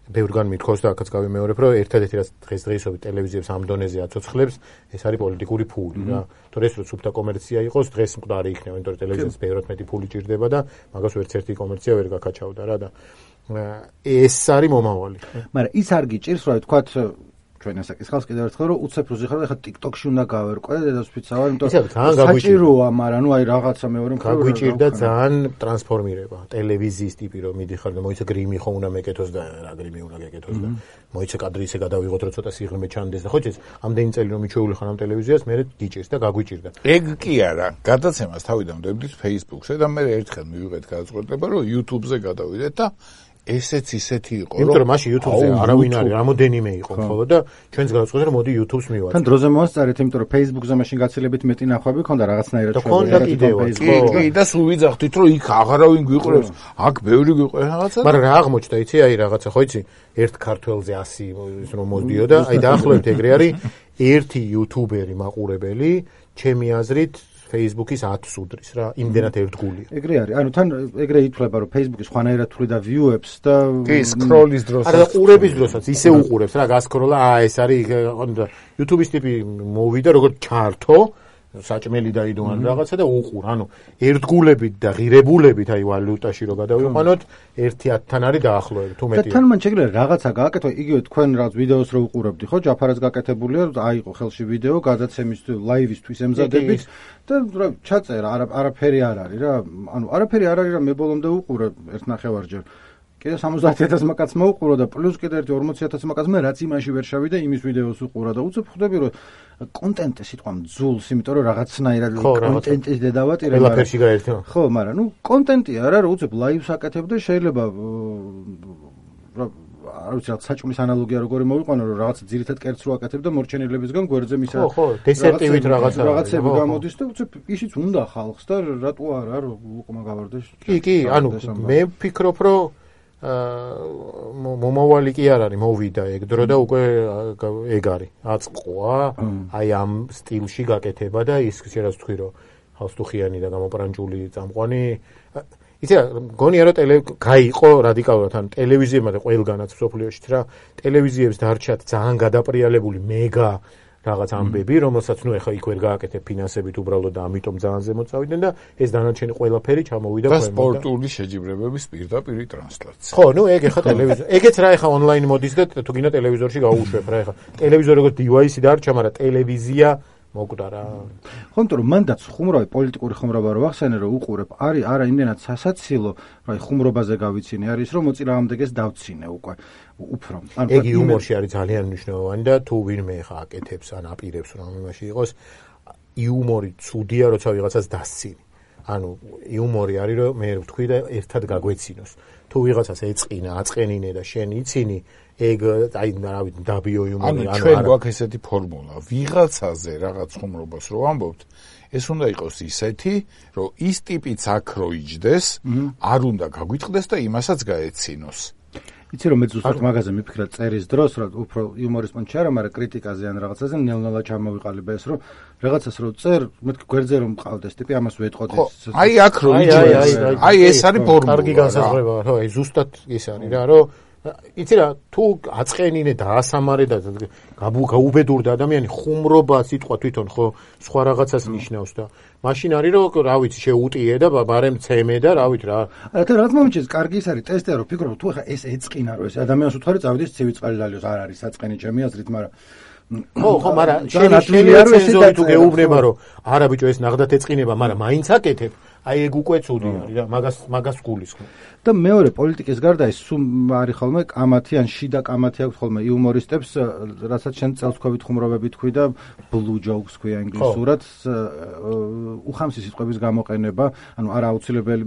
ბევრგან მithქოს და აქაც გავიმეორებ რომ ერთადერთი რაც დღესდღეობით ტელევიზიებს ამ დონეზე აცოცხლებს ეს არის პოლიტიკური ფული რა თორე ეს რო სუფთა კომერცია იყოს დღეს მკვდარი იქნება იმიტომ რომ ტელევიზიას ბევრად მეტი ფული ჭირდება და მაგას ვერც ერთი კომერცია ვერ გაკაჩავდა რა და ეს არის მომავალი მაგრამ ის არ გიჭირს რომ თქვათ ჩვენ ასაკის კიდევ ერთხელ რომ უცებ როზე ხარ ეხლა TikTok-ში უნდა გავერკვე დედას ფიცავარ იმიტომ რომ საჭიროა მაგრამ ნუ აი რაღაცა მეორე მხრივ გაგვიჭირდა ძალიან ტრანსფორმირება ტელევიზიის ტიპი რომ მიდიხარ და მოიცა გრიმი ხო უნდა მეკეთოს და რა გრიმი უნდა გეკეთოს და მოიცა კადრი ისე გადავიღოთ რომ ცოტა სიღრმე ჩანდეს და ხო იცი ამდენი წელი რომ მიჩვეული ხარ ამ ტელევიზიას მე გიჭირს და გაგვიჭირდა ეგ კი არა გადაცემას თავიდან ვდებდით Facebook-ზე და მე ერთხელ მივიღეთ გადაწყვეტილება რომ YouTube-ზე გადავიდეთ და ესეც ისეთი იყო რომ იმიტომ რომ მაშინ YouTube-ზე არავინ არის რამოდენიმე იყო ხოლმე და ჩვენს გადაწყვეტა რომ მოდი YouTube-ს მივაწვით თან დროზე მოასწარეთ იმიტომ რომ Facebook-ზე მაშინ გაცილებით მეტი ნახვები ქონდა რაღაცნაირად შევიდა და კიდევ კი და სულ ვიძახდით რომ იქ აღარავინ გვიყურებს აქ ბევრი გვიყურებს რაღაცა მაგრამ რა აღმოჩნდა იცი აი რაღაცა ხო იცი ერთ ქართველზე ასი ის რომ მოდიოდა აი დაახლოებით ეგრე არის ერთი YouTuber-ი მაყურებელი ჩემი აზრით Facebook-ის ათს უდრის რა, იმდენად ერთგულია. ეგრე არის. ანუ თან ეგრე ითვლება რომ Facebook-ი სხვანაირად თვლი და view-ებს და კი, სკროლის დროსაც. არა, ყურების დროსაც ისე უყურებს რა, გასკროლა, აა ეს არის YouTube-ის ტიპი მოვიდა როგორც ჩართო, საჭმელი დაიდო ან რაღაცა და უყურ. ანუ ერთგულებით და ღირებულებით აი ვალუტაში რო გადავიყვანოთ, ერთი ათთან არის დაახლოებით, თუ მეტია. და თან მან შეგვიძლია რაღაცა გააკეთო, იგივე თქვენ რაღაც ვიდეოს რო უყურებდი, ხო, ჯაფარაც გაკეთებულია, აიყო ხელში ვიდეო, გადაცემის ლაივისთვის ემზადებით და რა ჩაწერა, არაფერი არ არის რა. ანუ არაფერი არ არის რა, მე ბოლომდე უყურე ერთ ნახევარჯერ. კიდე სამოცდაათი ათასი მაკაც მოუყურო და პლუს კიდე ერთი ორმოცი ათასი მაკაც მე რაც იმაში ვერ შევიდა იმის ვიდეოს უყურა და უცებ ხვდები რომ კონტენტი სიტყვა მძულს იმიტომ რომ რაღაცნაირად კონტენტის დედავატირება ყველაფერში გაერთო ხო მაგრამ ნუ კონტენტი არა რომ უცებ ლაივს აკეთებ და შეიძლება რა არ ვიცი რა საჭმლის ანალოგია როგორი მოვიყვანო რომ რაღაც ძირითად კერც რო აკეთებ და მორჩენილებისგან გვერდზე მისა ხო ხო დესერტივით რაღაცა რაღაცები გამოდის და უცებ ისიც უნდა ხალხს და რატო არა რომ უყმა გავარდეს კი კი ანუ მე ვფიქრობ რომ მომავალი კი არ არის მოვიდა ეგ დრო და უკვე ეგ არის აწყყვა აი ამ სტილში გაკეთება და ის შეიძლება თქვი რომ ჰალსტუხიანი და გამოპრანჭული წამყვანი იცი რა გონია რომ ტელე გაიყო რადიკალურად ან ტელევიზიებმა და ყველგანაც სოფლიოშიც რა ტელევიზიებს დარჩათ ძალიან გადაპრიალებული მეგა რაღაც ამბები, რომელსაც ნუ ეხა იქ ვერ გააკეთებ ფინანსებით უბრალოდ და ამიტომ ძალიან ზემოთ წავიდნენ და ეს დანარჩენი ყველაფერი ჩამოვიდა ქვემოთ. და სპორტული შეჯიბრებების პირდაპირ ტრანსლაცია. ხო, ნუ ეგ ეხა ტელევიზორ. ეგეც რა ეხა ონლაინ მოდის და თუ გინდა ტელევიზორში გაუშვებ რა ეხა. ტელევიზორი როგორც დივაისი დარჩა, მაგრამ ტელევიზია მოკვდა რა. ხო, იმიტომ რომ მანდაც ხუმროვი პოლიტიკური ხუმრობა რო ახსენე რომ უყურებ, არის არა იმდენად სასაცილო, რომ აი ხუმრობაზე გავიცინე, არის რომ მოწინააღმდეგეს დავცინე უკვე. უფრო. ანუ ეგ იუმორში არის ძალიან მნიშვნელოვანი და თუ ვინმე ხა აკეთებს ან აპირებს რომ იმაში იყოს იუმორი ცუდია, როცა ვიღაცას დასცინი. ანუ იუმორი არის რომ მე ვთქვი და ერთად გაგვეცინოს. თუ ვიღაცას ეწყინა, აწყენინე და შენ იცინი, ეგ აი რა ვიცი, დაბიო იუმორი. ანუ ჩვენ გვაქვს ესეთი ფორმულა, ვიღაცაზე რაღაც ხუმრობას რო ამბობთ, ეს უნდა იყოს ისეთი, რომ ის ტიპიც აქ რო იჯდეს, არ უნდა გაგვითყდეს და იმასაც გაეცინოს. იცი რომ მე ზუსტად მაგაზე მიფიქრა წერის დროს, რომ უფრო იუმორის პონჩი არა, მაგრამ კრიტიკაზე ან რაღაცაზე ნელ-ნელა ჩამოვიყალიბე ეს, რომ რაღაცას რო წერ, მეთქი გვერდზე რომ მყავდეს ტიპი, ამას ვეტყოდი. აი აქ რო იჯდეს, აი ეს არის ფორმულა. კარგი განსაზღვრება, ხო, აი ზუსტად ის არის რა, რომ იცი რა, თუ აწყენინე და ასამარე და გაუბედურდა ადამიანი, ხუმრობა სიტყვა თვითონ ხო სხვა რაღაცას ნიშნავს და მაშინ არის რომ რა ვიცი შეუტიე და ბარემ ცემე და რა ვიცი რა. არა და რაც მომიჩეს, კარგი ის არის ტესტია რომ ფიქრობ თუ ხა ეს ეწყინა რომ ეს ადამიანს უთხარი წავიდეს ცივი წყალი ლალიოს არ არის საწყენი ჩემი აზრით, მაგრამ ხო ხო, მაგრამ შენი არ ვიცი თუ გეუბნება რომ არა ბიჭო ეს ნახდათ ეწყინება, მაგრამ მაინც აკეთებ. აი ეგ უკვე ცუდი არის რა, მაგას მაგას გულისხმობ. და მეორე პოლიტიკის გარდა ის სულ არის ხოლმე კამათი ან შიდა კამათი აქვს ხოლმე იუმორისტებს, რასაც შენ წელსქვევით ხუმრობები თქვი და blue jokes ქვია ინგლისურად, უხამსი სიტყვების გამოყენება, ანუ არა აუცილებელი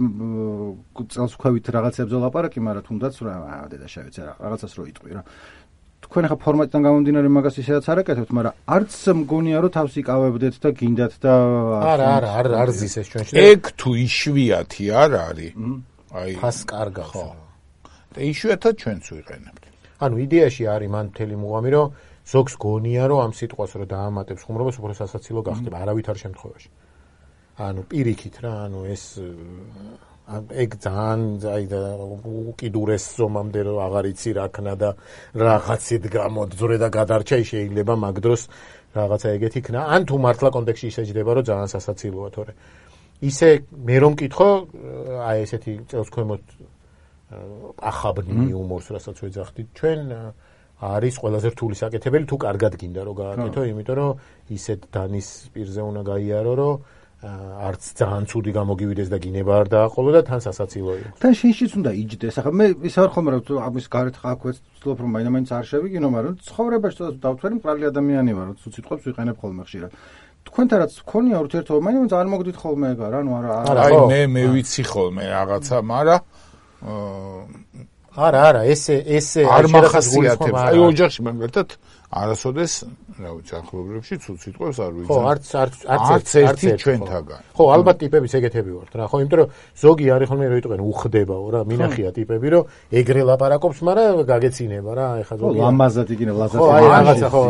წელსქვევით რაღაცებზე ლაპარაკი, მაგრამ თუნდაც რა დედა შევეცე რა, რაღაცას რო იტყვი რა. თქვენ ახლა ფორმატიდან გამომდინარე მაგას ისედაც არ აკეთებთ, მაგრამ არც მგონია რომ თავს იკავებდეთ და გინდათ და არა არა არ არ ზის ეს ჩვენში. ეგ თუ იშვიათი არ არის. აი ფას კარგა ხო. და იშვიათად ჩვენც ვიყენებთ. ანუ იდეაში არის მან მთელი მუღამი რომ ზოგს გონია რომ ამ სიტყვას რო დაამატებს ხუმრობას უფრო სასაცილო გახდება არავითარ შემთხვევაში. ანუ პირიქით რა, ანუ ეს ეგ ძალიან აი და უკიდურეს ზომამდე რომ აღარ იცი რა ქნა და რაღაცით გამოძვრე და გადარჩა შეიძლება მაგ დროს რაღაცა ეგეთი ქნა. ან თუ მართლა კონტექსტში ისეჯდება რომ ძალიან სასაცილოა, თორე ისე მე რომ მკითხო აი ესეთი წელსქვემოთ ახაბნი იუმორს რასაც ვეძახდით ჩვენ არის ყველაზე რთული საკეთებელი თუ კარგად გინდა რომ გააკეთო, იმიტომ რომ ისეთ დანის პირზე უნდა გაიარო რომ არც ძალიან ცუდი გამოგივიდეს და გინება არ დააყოლო და თან სასაცილო იყოს. თან შენშიც უნდა იჯდეს. ახლა მე ის არ ხომ რა ამის გარეთ ხაქვეც ვცდილობ რომ მაინც არ შევიგინო, მაგრამ ცხოვრებაში თუნდაც დავთვერი მყრალი ადამიანი ვარ, თუ სიტყვებს ვიყენებ ხოლმე ხშირად. თქვენთან რაც გქონია ურთიერთობა, მაინც არ მოგდით ხოლმე ეგ არა, ანუ არა. აი მე მე ვიცი ხოლმე რაღაცა, მაგრამ არა არა ესე ესე არ მახასიათებს. აი ოჯახში მაგალითად არასოდეს რა ვიცი ახლობლებში ცუდ სიტყვებს არ ვიცი. ხო, არც არც არც ერთი ჩვენთაგან. ხო, ალბათ ტიპების ეგეთები ვართ რა. ხო, იმიტომ რომ ზოგი არის ხოლმე რო იტყვენ უხდებაო რა, მინახია ტიპები რომ ეგრე ლაპარაკობს, მაგრამ გაგეცინება რა, ეხა ზოგი. ხო, ლამაზად იქნება, ლაზად. ხო, აი რაღაცა ხო.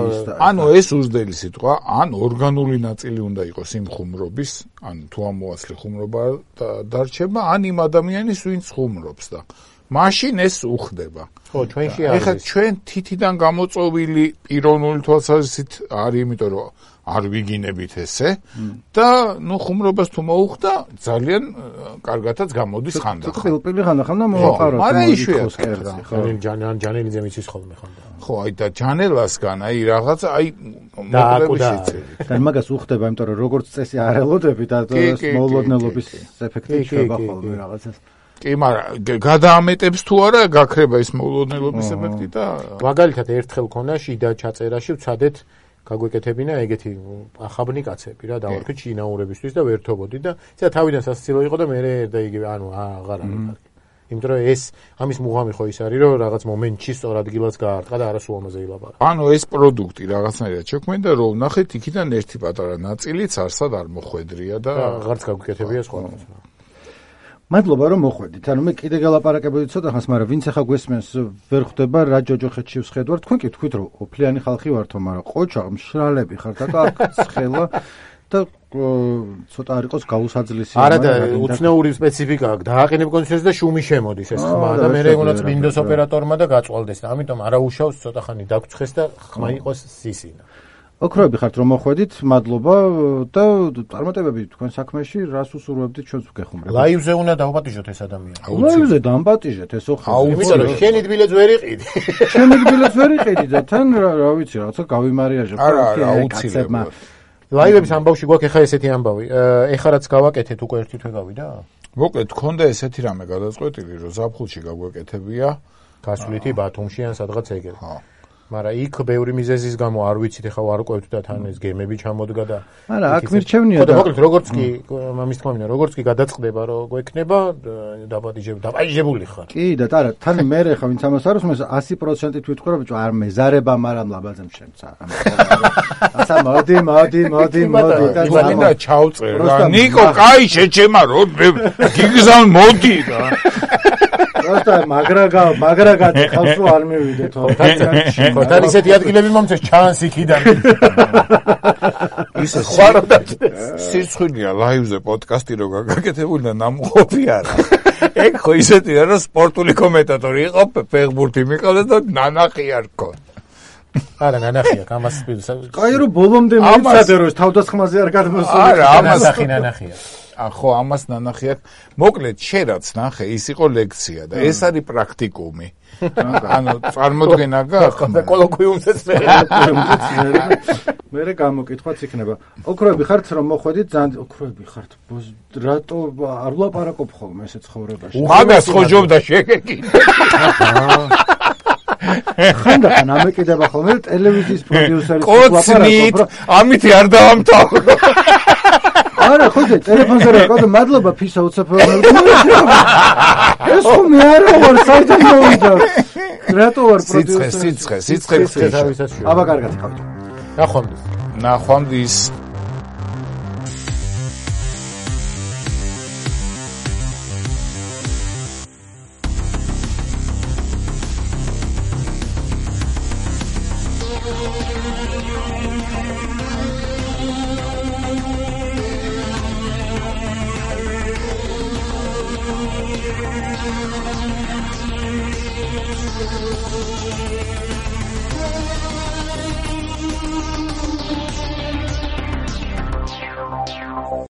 ანუ ეს უზრდელი სიტყვა, ან ორგანული ნაწილი უნდა იყოს იმ ხუმრობის, ან თუ ამოაცლი ხუმრობა დარჩება, ან იმ ადამიანის ვინც ხუმრობს და მაშინ ეს უხდება. ხო, ჩვენში არის. ეხლა ჩვენ თითიდან გამოწოვილი პიროვნული თვალსაზრისით არის, იმიტომ რომ არ ვიგინებით ესე და ნუ ხუმრობას თუ მოუხდა, ძალიან კარგადაც გამოდის ხანდახან. თუ პირ-პირ ხანდახან და მოაყაროთ. მაგრამ იშვიათად რა. ხო, ჯანან ჯანელიძე მიცის ხოლმე ხანდახან. ხო, აი და ჯანელასგან აი რაღაცა აი მოკლები შეცდები. და მაგას უხდება, იმიტომ რომ როგორც წესი არ ელოდები და მოულოდნელობის ეფექტი შეება ხოლმე რაღაცას. კი, მაგრამ გადაამეტებს თუ არა, გაქრება ის მოულოდნელობის ეფექტი და მაგალითად ერთხელ ქონა შიდა ჩაწერაში ვცადეთ გაგვეკეთებინა ეგეთი ახაბნი კაცები რა, დავარქეთ შინაურებისთვის და ვერთობოდი და ისა თავიდან სასაცილო იყო და მე და იგივე, ანუ აღარ არის კარგი. იმიტომ რომ ეს ამის მუღამი ხო ის არის, რომ რაღაც მომენტში სწორ ადგილას გაარტყა და არა სულ ამაზე ილაპარაკა. ანუ ეს პროდუქტი რაღაცნაირად შექმნდა, რომ ნახეთ იქიდან ერთი პატარა ნაწილიც არსად არ მოხვედრია და აღარც გაგვეკეთებია სხვა რაღაცა. მადლობა რომ მოხვედით. ანუ მე კიდე გელაპარაკებოდი ცოტა ხანს, მაგრამ ვინც ახლა გვესმენს ვერ ხვდება რა ჯოჯოხეთში ვსხედვარ. თქვენ კი თქვით რომ ოფლიანი ხალხი ვართო, მაგრამ ყოჩა მშრალები ხართ და ცხელა და ცოტა არ იყოს გაუსაძლისი. არა და უცნაური სპეციფიკა აქვს. დააყენებ კონცერტს და შუმი შემოდის ეს ხმა და მე უნდა წმინდოს ოპერატორმა და გაწვალდეს და ამიტომ არა უშავს ცოტა ხანი დაგწხეს და ხმა იყოს სისინა. ოქროები ხართ რომ მოხვედით, მადლობა და წარმატებები თქვენ საქმეში, რას უსურვებდით ჩვენს ვგეხუმრებთ. ლაივზე უნდა დავაპატიჟოთ ეს ადამიანი. ლაივზე დამპატიჟეთ ეს ოქროები. იმიტომ რომ შენი თბილეთს ვერ იყიდი. შენი თბილეთს ვერ იყიდი და თან რა ვიცი, რაღაცა გავიმარიაჟებ. არა, არა, აუცილებლად. ლაივების ამბავში გვაქვს ახლა ესეთი ამბავი. ეხლა რაც გავაკეთეთ უკვე ერთი თვე გავიდა? მოკლედ, გქონდა ესეთი რამე გადაწყვეტილი, რომ ზაფხულში გაგვეკეთებია გასვლითი ბათუმში ან სადღაც ეგრე. ხო. მაგრამ იქ ბევრი მიზეზის გამო არ ვიცით ეხლა ვარკვევთ და თან ეს გემები ჩამოდგა და არა აქ მირჩევნია და მოკლედ როგორც კი მამის თქმა მინდა როგორც კი გადაწყდება რომ გვექნება დაბადიჟებ დაბადიჟებული ხარ კი და არა თან მე ხა ვინც ამას არ უსმენს ათი პროცენტით ვიტყვი რომ ბიჭო არ მეზარება მაგრამ ლაბაზემ შემცა ასა მოდი მოდი მოდი მოდი და მინდა ჩავწერ რა ნიკო კაი შეჩემა რო გიგზავ მოდი და просто მაგრაგა მაგრაგადი ხავს რომ არ მივიდე თო ხოთან ისეთი ადგილები მომწეს ჩანს იქიდან ისე ხوارდა სირცხვილია ლაივზე პოდკასტი რო გაგაკეთებული და ნამყოფი არა ეგ ხო ისეთია რომ სპორტული კომენტატორი იყო ფეხბურთი მიყავდა და ნანახი არ გქონდა არა ნანახია ამას კაი რომ ბოლომდე მიცადე რომ თავდასხმაზე არ გადმოსული არა ამას ნანახი ნანახია ხო ამას ნანახი აქვს მოკლედ შერაც ნახე ის იყო ლექცია და ეს არის პრაქტიკუმი ანუ წარმოდგენა გაქვს და კოლოკვიუმზეც მე მე გამოკითხვაც იქნება ოქროები ხართ რომ მოხვედით ძალიან ოქროები ხართ რატო არ ვლაპარაკობ ხოლმე ესე ცხოვრებაში მაგას ხო ჯობდა შეგეკი ხანდახან ამეკიდება ხოლმე ტელევიზიის პროდიუსერი კოცნით ამითი არ დავამთავრო არა ხო და ტელეფონზე რა ყავდა მადლობა ფისა უცაფროვნად ეს ხო მე არა ვარ საერთოდ მოვიდა რატო ვარ პროდიუსერი სიცხე სიცხე სიცხე აბა კარგად ხავთ ნახვამდის ნახვამდის